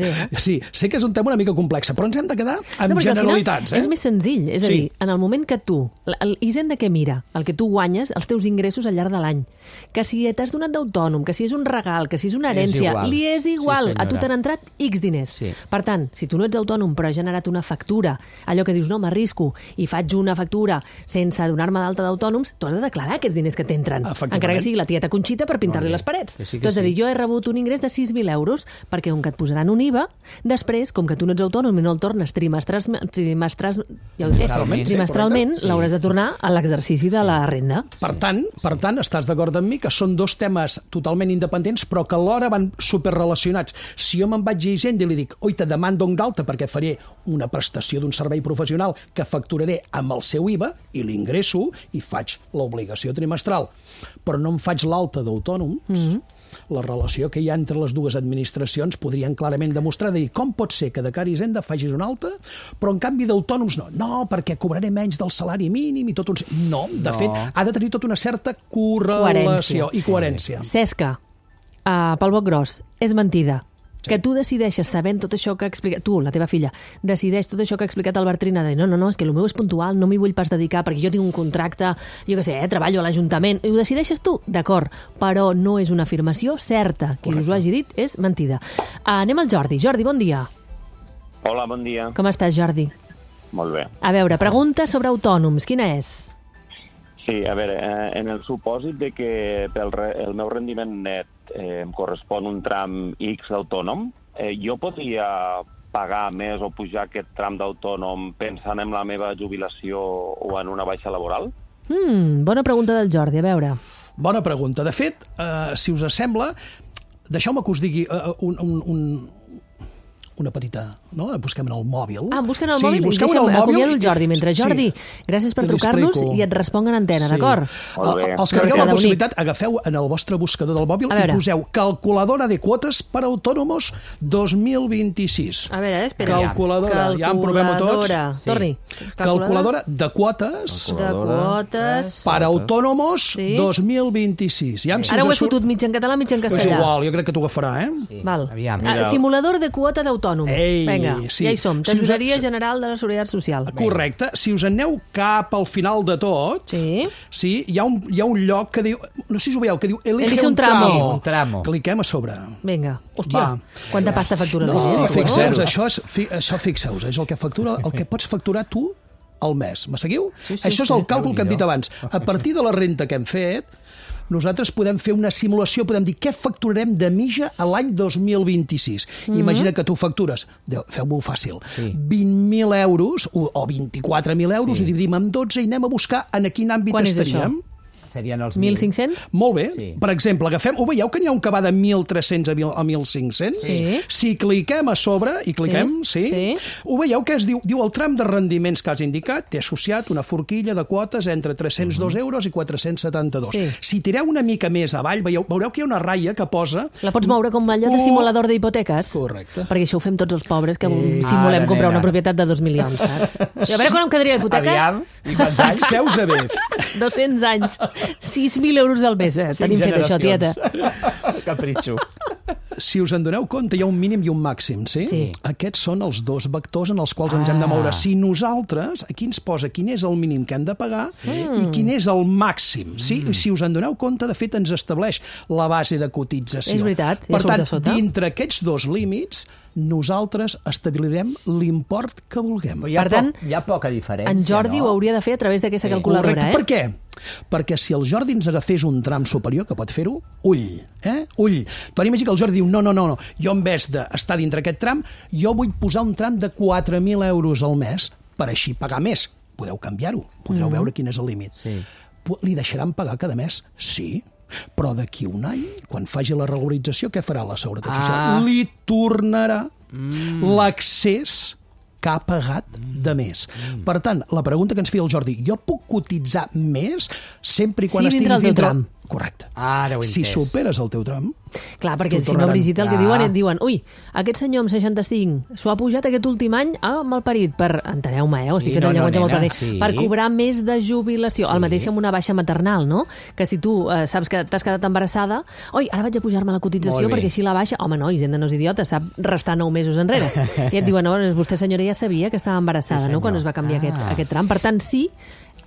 Sí, sé que és un tema una mica complex, però ens hem de quedar amb no, generalitats. Eh? És més senzill, és a sí. dir, en el moment que tu, l'Hisenda que mira, el que tu guanyes, els teus ingressos al llarg de l'any, que si t'has donat d'autònom, que si és un regal, que si és una herència, és li és igual, sí, a tu t'han entrat X diners. Sí. Per tant, si tu no ets autònom però has generat una factura, allò que dius, no, m'arrisco i faig una factura sense donar-me d'alta d'autònoms, tu has de declarar aquests diners que t'entren, encara que sigui la tieta Conxita per pintar-li les parets. Sí, tu has de dir, jo he rebut un ingrés de sis mil euros, perquè com que et posaran un I V A, després, com que tu no ets autònom i no el tornes trimestrals, trimestrals, ja ho trimestralment, trimestralment sí. l'hauràs de tornar a l'exercici de la renda. Per tant, per tant, estàs d'acord amb mi que són dos temes totalment independents, però que alhora van superrelacionats. Si jo me'n vaig a Hisenda i li dic, oi, te demando un d'alta perquè faré una prestació d'un servei professional que facturaré amb el seu I V A i l'ingresso i faig l'obligació trimestral, però no em faig l'alta d'autònoms, mm-hmm. la relació que hi ha entre les dues administracions podrien clarament demostrar de dir com pot ser que de cara a Hisenda facis una alta, però en canvi d'autònoms no. No, perquè cobraré menys del salari mínim i tot un... No, de no. fet, ha de tenir tota una certa correlació coherència. i coherència. Cesca, uh, pel boc gros, és mentida. Sí. Que tu decideixes, sabent tot això que ha explicat... Tu, la teva filla, decideix tot això que ha explicat el Bertrina, de no, no, no, és que el meu és puntual, no m'hi vull pas dedicar perquè jo tinc un contracte, jo què sé, eh, treballo a l'Ajuntament. Ho decideixes tu, d'acord, però no és una afirmació certa. Qui Correcte. us ho hagi dit és mentida. Uh, anem al Jordi. Jordi, bon dia. Hola, bon dia. Com estàs, Jordi? Molt bé. A veure, pregunta sobre autònoms. Quina és? Sí, a veure, eh, en el supòsit de que pel re, el meu rendiment net eh, em correspon un tram X d'autònom, eh, jo podria pagar més o pujar aquest tram d'autònom pensant en la meva jubilació o en una baixa laboral? Mm, bona pregunta del Jordi, a veure. Bona pregunta. De fet, eh, si us sembla, deixeu-me que us digui eh, un... un, un una petita, no? Busquem en el mòbil. Ah, busquen el sí, mòbil? Busquem el mòbil. Acomiado el Jordi. Mentre, Jordi, sí, gràcies per trucar-nos i et responc en antena, sí. d'acord? Els que tingueu la possibilitat, agafeu en el vostre buscador del mòbil i poseu calculadora de quotes per autònomos dos mil vint-i-sis. A veure, espera. Calculadora, ja en provem-ho tots. Sí. Torni. Calculadora de quotes, de quotes per autònomos sí. dos mil vint-i-sis. Ja Ara ho he fotut mig en català, mig en castellà. És igual, jo crec que t'ho agafarà, eh? Sí. Val. Simulador de quota d'autònom. Ei, Vinga, sí. ja hi som. Tesoreria si General de la Seguretat Social. Correcte. Si us aneu cap al final de tot, sí. Sí, hi, ha un, hi ha un lloc que diu... No sé si ho veieu, que diu Elige, Elige un, un tramo. tramo. Un tramo. Cliquem a sobre. Vinga. Hòstia, Va. quanta pasta factura no, la gent? Fixeu-vos, això, és, fi, això fixeu-vos, és el que factura, el que pots facturar tu al mes. Me seguiu? Sí, sí, això és el sí, càlcul que hem dit abans. A partir de la renta que hem fet, nosaltres podem fer una simulació, podem dir què facturarem de mitja a l'any dos mil vint-i-sis. Mm-hmm. Imagina que tu factures, feu-m'ho fàcil, sí. vint mil euros o, o vint-i-quatre mil euros sí. i dividim amb dotze i anem a buscar en quin àmbit Quan estaríem. Serien els mil cinc-cents? Molt bé. Sí. Per exemple, agafem... Ho veieu que n'hi ha un que va de mil tres-cents a mil cinc-cents? Sí. Si cliquem a sobre, i cliquem, sí, sí. sí. Ho veieu que es diu, diu el tram de rendiments que has indicat, té associat una forquilla de quotes entre tres-cents dos uh-huh. euros i quatre-cents setanta-dos. Sí. Si tireu una mica més avall, veieu, veureu que hi ha una ratlla que posa... La pots moure com allò de simulador d'hipoteques? Correcte. Perquè això ho fem tots els pobres que eh, simulem comprar nena. una propietat de dos milions, saps? I a veure quan em quedaria hipoteca? Aviam, i quants anys? Fixeu-vos a bé. dos-cents anys. sis mil euros al mes, eh? Tenim fet això, tieta. Capritxo. si us en doneu compte, hi ha un mínim i un màxim, sí? Sí. Aquests són els dos vectors en els quals ens hem de moure. Si nosaltres, aquí ens posa quin és el mínim que hem de pagar sí. i quin és el màxim. Sí? Mm. Si us en doneu compte, de fet, ens estableix la base de cotització. És veritat, ja per tant, sota, sota. dintre aquests dos límits, nosaltres establirem l'import que vulguem. Hi ha, Per tant, poc, hi ha poca diferència, En Jordi no? ho hauria de fer a través d'aquesta Sí. calculadora, Correcte. eh? Per què? Perquè si el Jordi ens agafés un tram superior, que pot fer-ho, ull, eh? Ull. Tu imagina que el Jordi diu, no, no, no, no, jo en vez d'estar dintre aquest tram, jo vull posar un tram de quatre mil euros al mes per així pagar més. Podeu canviar-ho, podreu mm. veure quin és el límit. Sí. Li deixaran pagar cada mes? Sí. Però d'aquí un any, quan faci la regularització, què farà la Seguretat Ah. Social? Li tornarà Mm. l'accés que ha pagat de més. Mm. Per tant, la pregunta que ens feia el Jordi, jo puc cotitzar més sempre i quan Sí, dintre estiguis el teu tram. Correcte. Ara ho he Si entès. superes el teu tram... Clar, perquè t'ho si no, tornaran. Brigitte, el que Clar. diuen, et diuen ui, aquest senyor amb seixanta-cinc s'ho ha pujat aquest últim any, ah, malparit, per, enteneu-me, eh, ho estic Sí, fent no, el no, llenguatge molt nena, parit, sí. per cobrar més de jubilació, Sí. el mateix que amb una baixa maternal, no? Que si tu eh, saps que t'has quedat embarassada, oi, ara vaig a pujar-me la cotització Molt bé. perquè així la baixa, home, no, Hisenda no és idiota, sap restar nou mesos enrere. I et diuen, no, vostè senyora ja sabia que estava embarassada, Sí, no?, quan senyor. es va canviar Ah. aquest, aquest tram. Per tant, sí,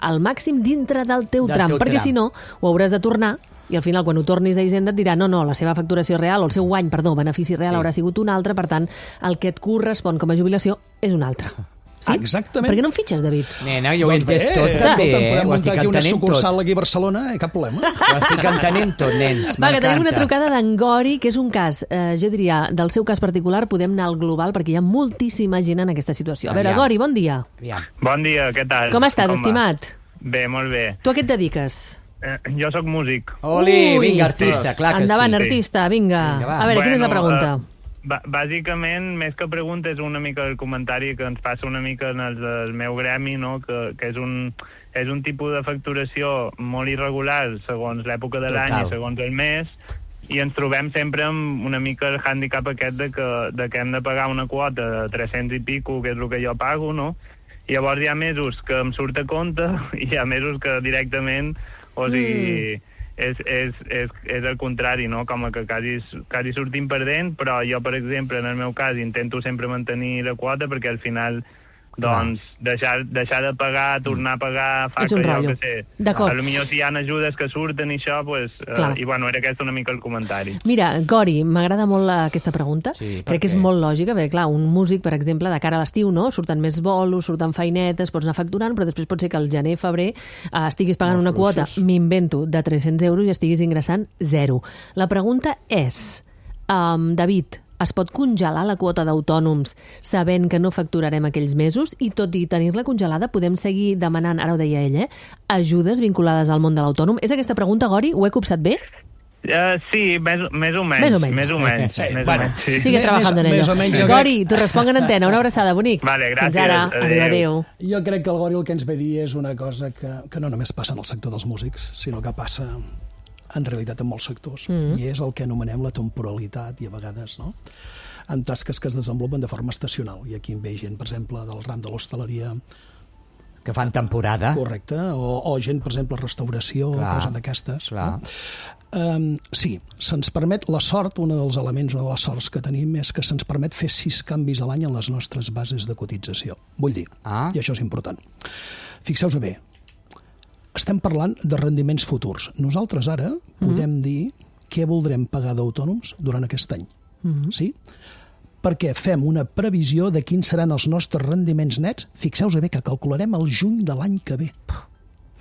al màxim dintre del teu Del tram, teu perquè tram. si no, ho hauràs de tornar i al final, quan ho tornis a Hisenda, et dirà no, no, la seva facturació real, o el seu guany, perdó, benefici real Sí. haurà sigut un altre, per tant, el que et correspon com a jubilació és un altre. Sí? Exactament. Per què no em fitxes, David? Nena, jo ho he Doncs bé, entès tot, escolta, també, eh? podem Ho estic muntar aquí una entenent sucursal tot. aquí a Barcelona, eh? Cap problema. Ho estic entenent tot, nens. Va, que tenim una M'encanta. trucada d'en Gori, que és un cas, eh, jo diria, del seu cas particular, podem anar al global, perquè hi ha moltíssima gent en aquesta situació. A veure, Aviam. Gori, bon dia. Aviam. Bon dia, què tal? Com estàs, va? estimat? Bé, molt bé. Tu a què et dediques? Eh, jo sóc músic. Oli, Ui. vinga, artista, clar que Endavant, sí. artista, vinga. Vinga, va. A veure, quina és la Bueno, pregunta? eh, b- bàsicament, més que pregunta, és una mica el comentari que ens passa una mica en el, el meu gremi, no? que, que és, un, és un tipus de facturació molt irregular segons l'època de l'any Total. i segons el mes, i ens trobem sempre amb una mica el hàndicap aquest de que, de que hem de pagar una quota de tres-cents i pico, que és el que jo pago, no? I llavors hi ha mesos que em surt a compte i hi ha mesos que directament, o sigui... Mm. És, és, és, és el contrari, no? Com que quasi, quasi sortim perdent, però jo, per exemple, en el meu cas, intento sempre mantenir la quota perquè al final, doncs, deixar, deixar de pagar, tornar a pagar, fa És un que jo, rotllo. que sé, D'acord. a lo millor si hi ha ajudes que surten i això, pues, Clar. eh, i bueno, era aquest una mica el comentari. Mira, Gori, m'agrada molt la- aquesta pregunta. Sí, per Crec que és què? molt lògica, perquè, clar, un músic, per exemple, de cara a l'estiu, no? Surten més bolos, surten feinetes, pots anar facturant, però després pot ser que al gener, febrer, eh, estiguis pagant Molt una quota, fluixos. m'invento, de tres-cents euros i estiguis ingressant zero. La pregunta és, um, David, es pot congelar la quota d'autònoms sabent que no facturarem aquells mesos i tot i tenir-la congelada podem seguir demanant, ara ho deia ell, eh, ajudes vinculades al món de l'autònom? És aquesta pregunta, Gori? Ho he copsat bé? Uh, sí, més, més o menys. Més o menys. Més o menys. Sí, més bueno, o menys, sí. Sigue Més- trabajando en ello. més o menys, jo Gori, t'ho responc en antena. Una abraçada, bonic. Vale, gràcies. Fins ara. Adéu. Adéu, adéu. Jo crec que el Gori el que ens ve a dir és una cosa que, que no només passa en el sector dels músics, sinó que passa en realitat en molts sectors. Mm. I és el que anomenem la temporalitat i a vegades, no?, en tasques que es desenvolupen de forma estacional. I aquí en ve gent, per exemple, del ram de l'hostaleria, Que fan temporada. correcte, o, o gent, per exemple, restauració, Clar, coses d'aquestes. clar. No? Um, sí, se'ns permet la sort, un dels elements, una de les sorts que tenim és que se'ns permet fer sis canvis a l'any en les nostres bases de cotització. Vull dir, Ah. i això és important. Fixeu-vos bé, estem parlant de rendiments futurs. Nosaltres ara podem dir què voldrem pagar d'autònoms durant aquest any. Mm-hmm. Sí? Perquè fem una previsió de quins seran els nostres rendiments nets. Fixeu-vos bé que calcularem el juny de l'any que ve.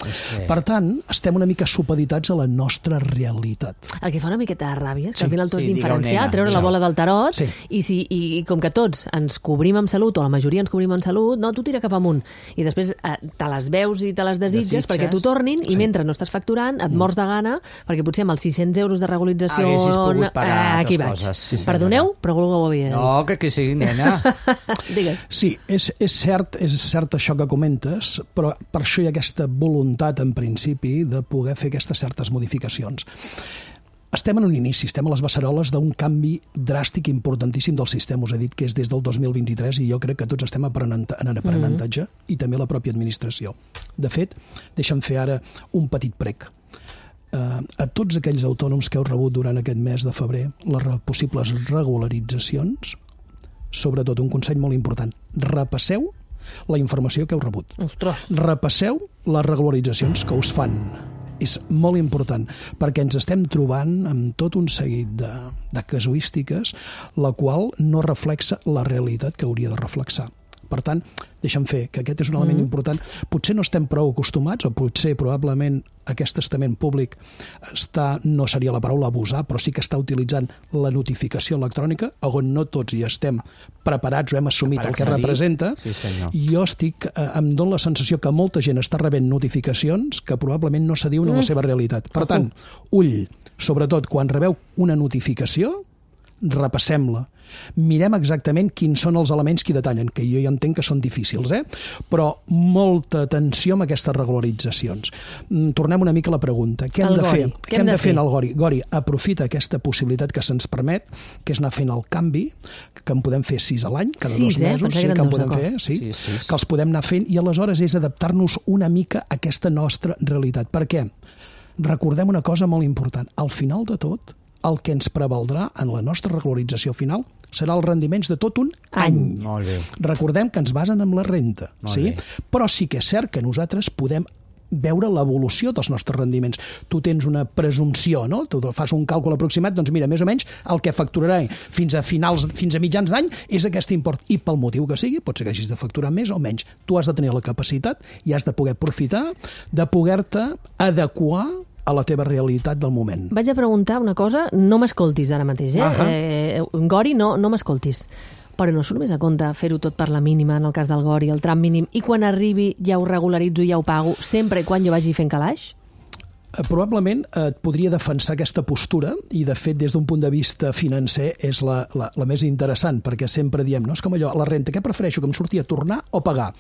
És que... Per tant, estem una mica supeditats a la nostra realitat. El que fa una miqueta de ràbia és que Sí, al final tu has sí, digueu, d'inferenciar, nena. treure la Sí. bola del tarot, Sí. i, si, i, i com que tots ens cobrim amb salut, o la majoria ens cobrim amb salut, no, tu tira cap amunt. I després eh, te les veus i te les desitges, Desitges. perquè t'ho tornin, Sí. i mentre no estàs facturant, et mors de gana, perquè potser amb els sis-cents euros de regularització... Haguessis pogut pagar eh, aquí altres vaig. coses, sí, senyora. Perdoneu, però algú ho havia de dir. No, que, que sí, nena. Digues. Sí, és, és, cert, és cert això que comentes, però per això hi ha aquesta voluntat, en principi, de poder fer aquestes certes modificacions. Estem en un inici, estem a les beceroles d'un canvi dràstic importantíssim del sistema. Us he dit que és des del dos mil vint-i-tres i jo crec que tots estem aprenent, en aprenentatge mm-hmm. i també la pròpia administració. De fet, deixa'm fer ara un petit prec. a tots aquells autònoms que heu rebut durant aquest mes de febrer les possibles regularitzacions, sobretot un consell molt important, repasseu la informació que heu rebut. Ostres. Repasseu les regularitzacions que us fan. És molt important, perquè ens estem trobant amb tot un seguit de, de casuístiques, la qual no reflexa la realitat que hauria de reflexar. Per tant, deixa'm fer, que aquest és un element mm. important. Potser no estem prou acostumats, o potser probablement aquest estament públic està, no seria la paraula abusar, però sí que està utilitzant la notificació electrònica, on no tots hi estem preparats o hem assumit el que representa. Sí, senyor. I jo estic, eh, em dono la sensació que molta gent està rebent notificacions que probablement no s'adiuen mm. a la seva realitat. Per tant, ull, sobretot quan rebeu una notificació, repassem-la. Mirem exactament quins són els elements que hi detallen, que jo ja entenc que són difícils, eh? Però molta atenció amb aquestes regularitzacions. Tornem una mica a la pregunta. Què hem de fer? Què hem de fer en el Gori? Gori, aprofita aquesta possibilitat que se'ns permet, que és anar fent el canvi, que en podem fer sis a l'any, cada dos mesos, sí, que en podem fer, sí, que els podem anar fent, i aleshores és adaptar-nos una mica a aquesta nostra realitat. Per què? Recordem una cosa molt important. Al final de tot, el que ens prevaldrà en la nostra regularització final serà els rendiments de tot un any. Molt bé. Recordem que ens basen en la renta, sí? Però sí que és cert que nosaltres podem veure l'evolució dels nostres rendiments. Tu tens una presumpció, no? Tu fas un càlcul aproximat, doncs mira, més o menys el que facturarà fins a finals, fins a mitjans d'any és aquest import. I pel motiu que sigui, pot ser que hagis de facturar més o menys. Tu has de tenir la capacitat i has de poder aprofitar de poder-te adequar a la teva realitat del moment. Vaig a preguntar una cosa, no m'escoltis ara mateix, eh? Uh-huh. eh Gori, no, no m'escoltis. Però no surt més a compte fer-ho tot per la mínima, en el cas del Gori, el tram mínim, i quan arribi ja ho regularitzo i ja ho pago, sempre i quan jo vagi fent calaix? Probablement et podria defensar aquesta postura, i de fet des d'un punt de vista financer és la, la, la més interessant, perquè sempre diem, no és com allò, la renta, què prefereixo, que em surti a tornar o pagar?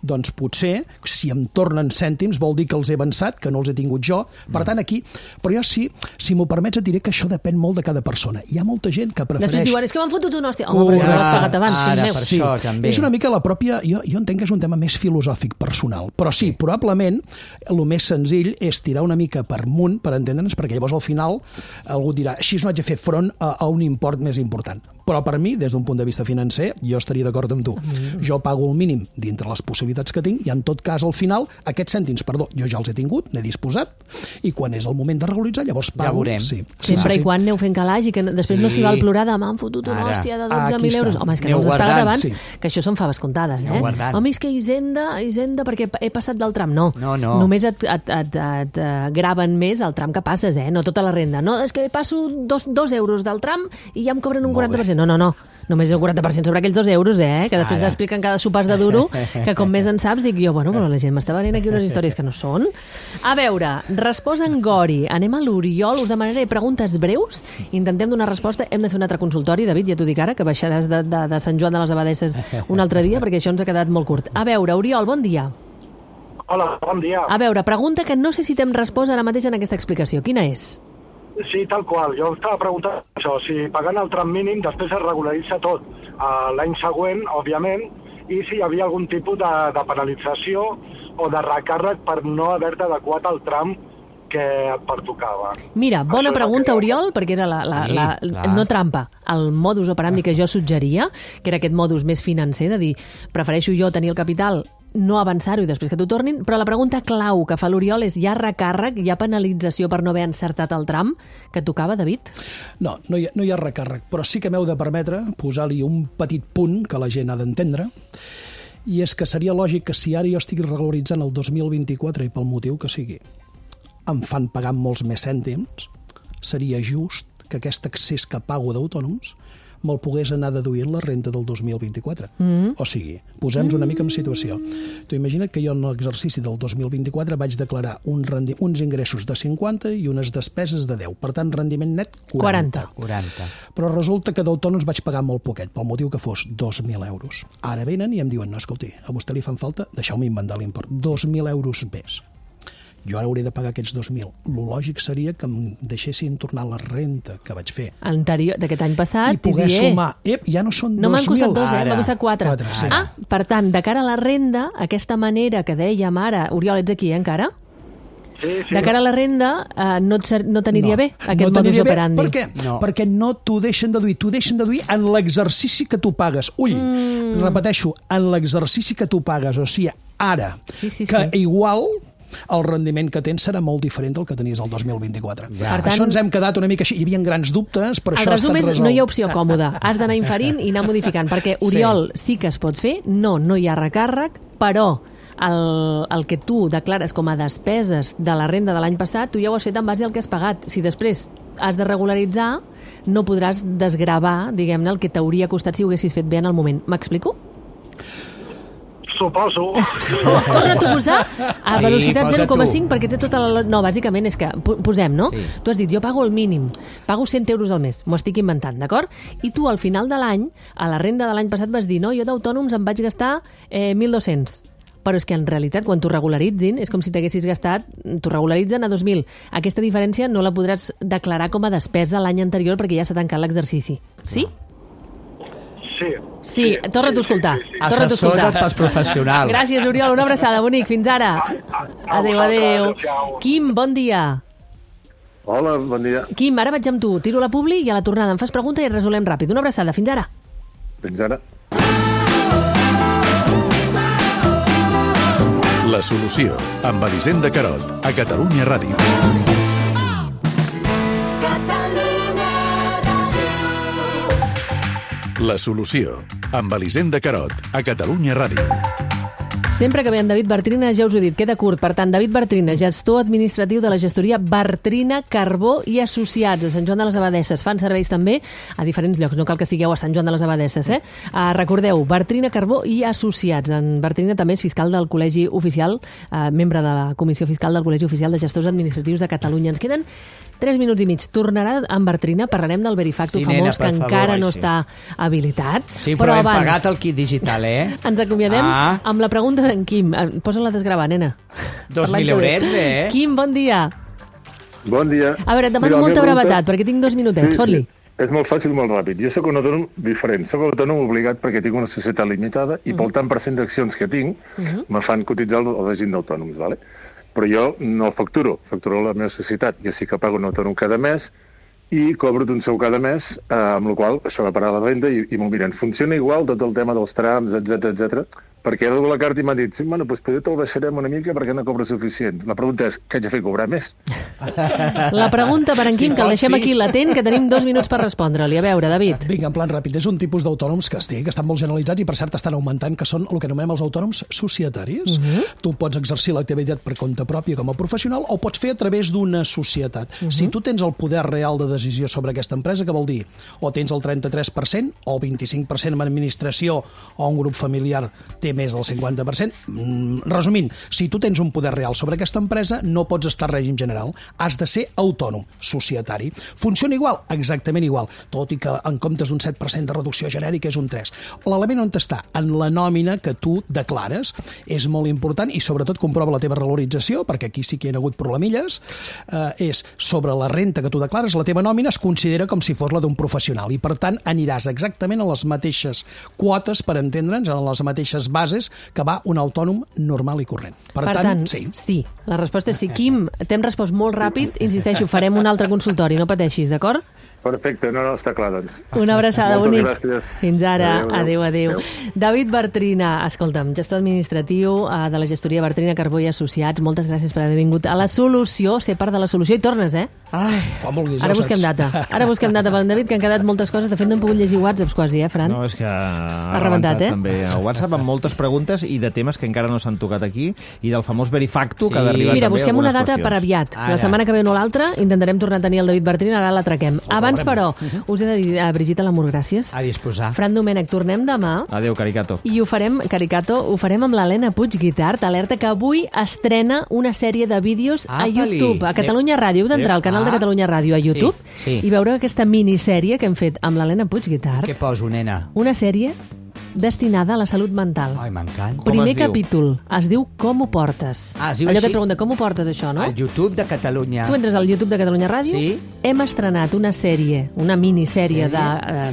Doncs potser, si em tornen cèntims, vol dir que els he avançat, que no els he tingut jo, per tant aquí, però jo sí, si m'ho permets et diré que això depèn molt de cada persona. Hi ha molta gent que prefereix... Després diuen, és que m'han fotut una hòstia. Home, però ja l'has pagat abans, ara, per sí. això també. És una mica la pròpia... Jo, jo entenc que és un tema més filosòfic, personal, però sí, sí. probablement el més senzill és tirar una mica per munt, per entendre'ns, perquè llavors al final algú dirà, així no haig de fer front a, a un import més important. Però per mi, des d'un punt de vista financer, jo estaria d'acord amb tu. Mm. Jo pago el mínim dintre les possibilitats que tinc i en tot cas al final aquests cèntims, perdó, jo ja els he tingut, n'he disposat, i quan és el moment de regularitzar llavors pago. Ja veurem. Sí. Sempre sí, i quan aneu fent calaix i que després sí. no s'hi val plorar de m'han fotut una hòstia de dotze mil euros. Home, és que no els has pagat abans, sí. que això són faves comptades, eh? Home, és que Hisenda, Hisenda perquè he passat del tram. No, no, no. Només et, et, et, et, et graven més el tram que passes, eh? No tota la renda. No, és que passo dos, dos euros del tram i ja em cobren un quaranta per cent. No, no, no. Només el quaranta per cent sobre aquells dos euros, eh? Que després expliquen cada sopars de duro, que com més en saps, dic jo, bueno, però la gent m'està venint aquí unes històries que no són. A veure, resposa en Gori. Anem a l'Oriol, us demanaré preguntes breus, intentem donar resposta, hem de fer un altre consultori, David, ja t'ho dic ara, que baixaràs de, de, de Sant Joan de les Abadesses un altre dia, perquè això ens ha quedat molt curt. A veure, Oriol, bon dia. Hola, bon dia. A veure, pregunta que no sé si t'hem respost ara mateix en aquesta explicació. Quina és? Sí, tal qual. Jo estava preguntant això, si pagant el tram mínim després es regularitza tot uh, l'any següent, òbviament, i si hi havia algun tipus de, de penalització o de recàrrec per no haver-te adequat al tram que et pertocava. Mira, bona Això pregunta, que... Oriol, perquè era la, la, sí, la, la, no trampa, el modus operandi que jo suggeria, que era aquest modus més financer, de dir, prefereixo jo tenir el capital, no avançar-ho i després que t'ho tornin, però la pregunta clau que fa l'Oriol és, hi ha recàrrec, hi ha penalització per no haver encertat el tram que tocava, David? No, no hi ha, no hi ha recàrrec, però sí que m'heu de permetre posar-li un petit punt que la gent ha d'entendre, i és que seria lògic que si ara jo estic regularitzant el dos mil vint-i-quatre i pel motiu que sigui, em fan pagar molts més cèntims, seria just que aquest excés que pago d'autònoms me'l pogués anar deduint la renta del dos mil vint-i-quatre. Mm. O sigui, posem-nos una mica en situació. Tu imagina't que jo en l'exercici del dos mil vint-i-quatre vaig declarar un rendi... uns ingressos de cinquanta i unes despeses de deu. Per tant, rendiment net quaranta. quaranta. Però resulta que d'autònoms vaig pagar molt poquet, pel motiu que fos dos mil euros. Ara venen i em diuen, no, escolti, a vostè li fan falta, deixeu-me inventar l'import, dos mil euros més. Jo ara hauré de pagar aquests dos mil. Lo lògic seria que em deixessin tornar la renta que vaig fer. Anterior, d'aquest any passat, i poder sumar. Ep, ja no són no dos mil. No m'han costat dos, eh? M'ha costat quatre. quatre sí. Ah, per tant, de cara a la renda, aquesta manera que dèiem ara... Oriol, ets aquí, eh, encara? Sí, sí. De cara a la renda, eh, no, et, ser- no t'aniria No, bé aquest no modus t'aniria bé. operandi. Per què? No. Perquè no t'ho deixen deduir. T'ho deixen deduir en l'exercici que tu pagues. Ull, mm. repeteixo, en l'exercici que tu pagues. O sigui, ara, Sí, sí, que sí. igual el rendiment que tens serà molt diferent del que tenies el dos mil vint-i-quatre. Per tant- Això ens hem quedat una mica així. Hi havia grans dubtes, però El això ha resum estat és, resolt. no hi ha opció còmoda. Has d'anar inferint i anar modificant, perquè Oriol sí. sí que es pot fer, no, no hi ha recàrrec, però el, el que tu declares com a despeses de la renda de l'any passat, tu ja ho has fet en base al que has pagat. Si després has de regularitzar, no podràs desgravar, diguem-ne, el que t'hauria costat si ho haguessis fet bé en el moment. M'explico? Suposo. Torna-t'ho a posar a Sí, velocitat posa zero coma tu. cinc perquè té tota la... No, bàsicament és que, po- posem, no? Sí. Tu has dit, jo pago el mínim, pago cent euros al mes, m'ho estic inventant, d'acord? I tu al final de l'any, a la renda de l'any passat vas dir, no, jo d'autònoms em vaig gastar eh, mil dos-cents. Però és que en realitat, quan t'ho regularitzin, és com si t'haguessis gastat, t'ho regularitzen a dos mil. Aquesta diferència no la podràs declarar com a despesa l'any anterior perquè ja s'ha tancat l'exercici. Sí? Sí. Sí, torna-t'ho a escoltar. Torna-t'ho a Assessora't escoltar. pels professionals. Gràcies, Oriol. Una abraçada, bonic. Fins ara. Adéu, adéu. Quim, bon dia. Hola, bon dia. Quim, ara vaig amb tu. Tiro la publi i a la tornada em fas pregunta i resolem ràpid. Una abraçada. Fins ara. Fins ara. La solució, amb Elisenda Carot, a Catalunya Ràdio. La solució, amb Elisenda Carot, a Catalunya Ràdio. Sempre que ve en David Bartrina, ja us ho he dit, queda curt. Per tant, David Bartrina, gestor administratiu de la gestoria Bartrina, Carbó i Associats a Sant Joan de les Abadesses. Fan serveis també a diferents llocs, no cal que sigueu a Sant Joan de les Abadesses, eh? Uh, recordeu, Bartrina, Carbó i Associats. En Bartrina també és fiscal del Col·legi Oficial, uh, membre de la Comissió Fiscal del Col·legi Oficial de Gestors Administratius de Catalunya. Ens queden tres minuts i mig. Tornarà en Bartrina, parlarem del Verifacto Sí, famós, nena, que per favor. encara Ai, no sí. està habilitat. Sí, però, hem pagat el kit digital, eh? Ens acomiadem Ah. amb la pregunta d'en Quim. Eh, Posa-la a desgravar, nena. Dos Per l'any mil que ve. eurets, eh? Quim, bon dia. Bon dia. A veure, et demano Mira, la molta meva brevetat, pregunta- perquè tinc dos minutets. Sí, Fot-li. sí. És molt fàcil, molt ràpid. Jo sóc un autònom diferent. Soc autònom obligat perquè tinc una societat limitada i pel tant per cent d'accions que tinc Mhm. me fan cotitzar al règim d'autònoms, ¿vale? Però jo no facturo, facturo la meva societat. Jo sí que pago un autònom cada mes i cobro d'un sou cada mes, eh, amb la qual cosa això va parar la renda i, i m'ho miren. Funciona igual tot el tema dels trams, etcètera, etcètera. Perquè ara de la carta i m'ha dit, sí, bueno, doncs potser te'l baixarem una mica perquè no cobra suficient. La pregunta és, què haig de fer, cobrar més? La pregunta per en Quim, Si que el vols, deixem sí. aquí latent, que tenim dos minuts per respondre-li. A veure, David. Vinga, en plan ràpid. És un tipus d'autònoms que, estic, que estan molt generalitzats i, per cert, estan augmentant, que són el que anomenem els autònoms societaris. Uh -huh. Tu pots exercir l'activitat per compte pròpia com a professional o pots fer a través d'una societat. Uh -huh. Si tu tens el poder real de decisió sobre aquesta empresa, què vol dir? O tens el trenta-tres per cent o el vint-i-cinc per cent en administració o un grup familiar té més del cinquanta per cent. Mm, resumint, si tu tens un poder real sobre aquesta empresa, no pots estar a règim general. Has de ser autònom, societari. Funciona igual? Exactament igual, tot i que en comptes d'un set per cent de reducció genèrica és un tres. L'element on està? En la nòmina que tu declares. És molt important i sobretot comprova la teva revalorització, perquè aquí sí que hi ha hagut problemilles. Eh, és sobre la renta que tu declares, la teva nòmina es considera com si fos la d'un professional i per tant aniràs exactament a les mateixes quotes, per entendre'ns, a les mateixes bases que va un autònom normal i corrent. Per, Per tant, tant, sí. sí. La resposta és sí. Quim, t'hem respost molt ràpid. Insisteixo, farem un altre consultori, no pateixis, d'acord? Perfecte, no, no, està clar, doncs. Una abraçada, Moltes bonic. gràcies. Fins ara. Adéu, Adéu, adéu. adéu. David Bartrina, escolta'm, gestor administratiu eh, de la gestoria Bartrina, Carbó i Associats. Moltes gràcies per haver vingut a La Solució, ser part de La Solució i tornes, eh? Ai, quan vulguis, Ara ja ho busquem saps. data. Ara busquem data per en David, que han quedat moltes coses. De fet, no hem pogut llegir whatsapps quasi, eh, Fran? No, és que ha, Ha rebentat, eh? també el WhatsApp amb moltes preguntes i de temes que encara no s'han tocat aquí i del famós Verifacto, Sí. que ha d'arribar Mira, també busquem una algunes data per qüestions. aviat. Ara. La setmana que ve o no l'altra intentarem tornar a tenir el David Bartrina, ara l'atraquem. Abans, però, us he de dir a Brigitte Lamour, gràcies. A disposar. Fran Domènech, tornem demà. Adéu, Caricato. I ho farem, Caricato, ho farem amb l'Helena Puig Guitart, alerta que avui estrena una sèrie de vídeos a Apa-li. YouTube, a Catalunya Ràdio. Heu d'entrar al canal de Ah. Catalunya Ràdio a YouTube Sí, sí. i veure aquesta minissèrie que hem fet amb l'Helena Puig Guitart. Què poso, nena? Una sèrie destinada a la salut mental. Ai, m'encanta. Primer es diu? capítol es diu Com ho portes. Ah, es diu Allò així? que et pregunta, com ho portes això, no? Al YouTube de Catalunya. Tu entres al YouTube de Catalunya Ràdio, Sí. hem estrenat una sèrie, una minissèrie Sèrie? de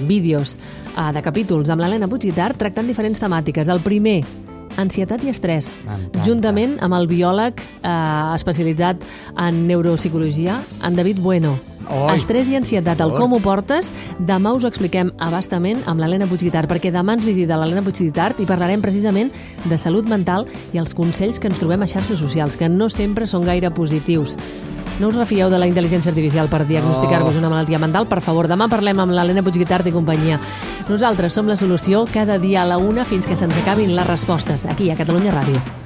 uh, vídeos, uh, de capítols amb l'Helena Puig Guitart tractant diferents temàtiques. El primer ansietat i estrès, juntament amb el biòleg eh, especialitzat en neuropsicologia, en David Bueno. Oi. Estrès i ansietat, el com ho portes, demà us ho expliquem abastament amb l'Helena Puigguitart, perquè demà ens visita l'Helena Puigguitart i parlarem precisament de salut mental i els consells que ens trobem a xarxes socials, que no sempre són gaire positius. No us refieu de la intel·ligència artificial per diagnosticar-vos una malaltia mental? Per favor, demà parlem amb l'Helena Puigguitart i companyia. Nosaltres som La Solució, cada dia a la una fins que se'ns acabin les respostes, aquí a Catalunya Ràdio.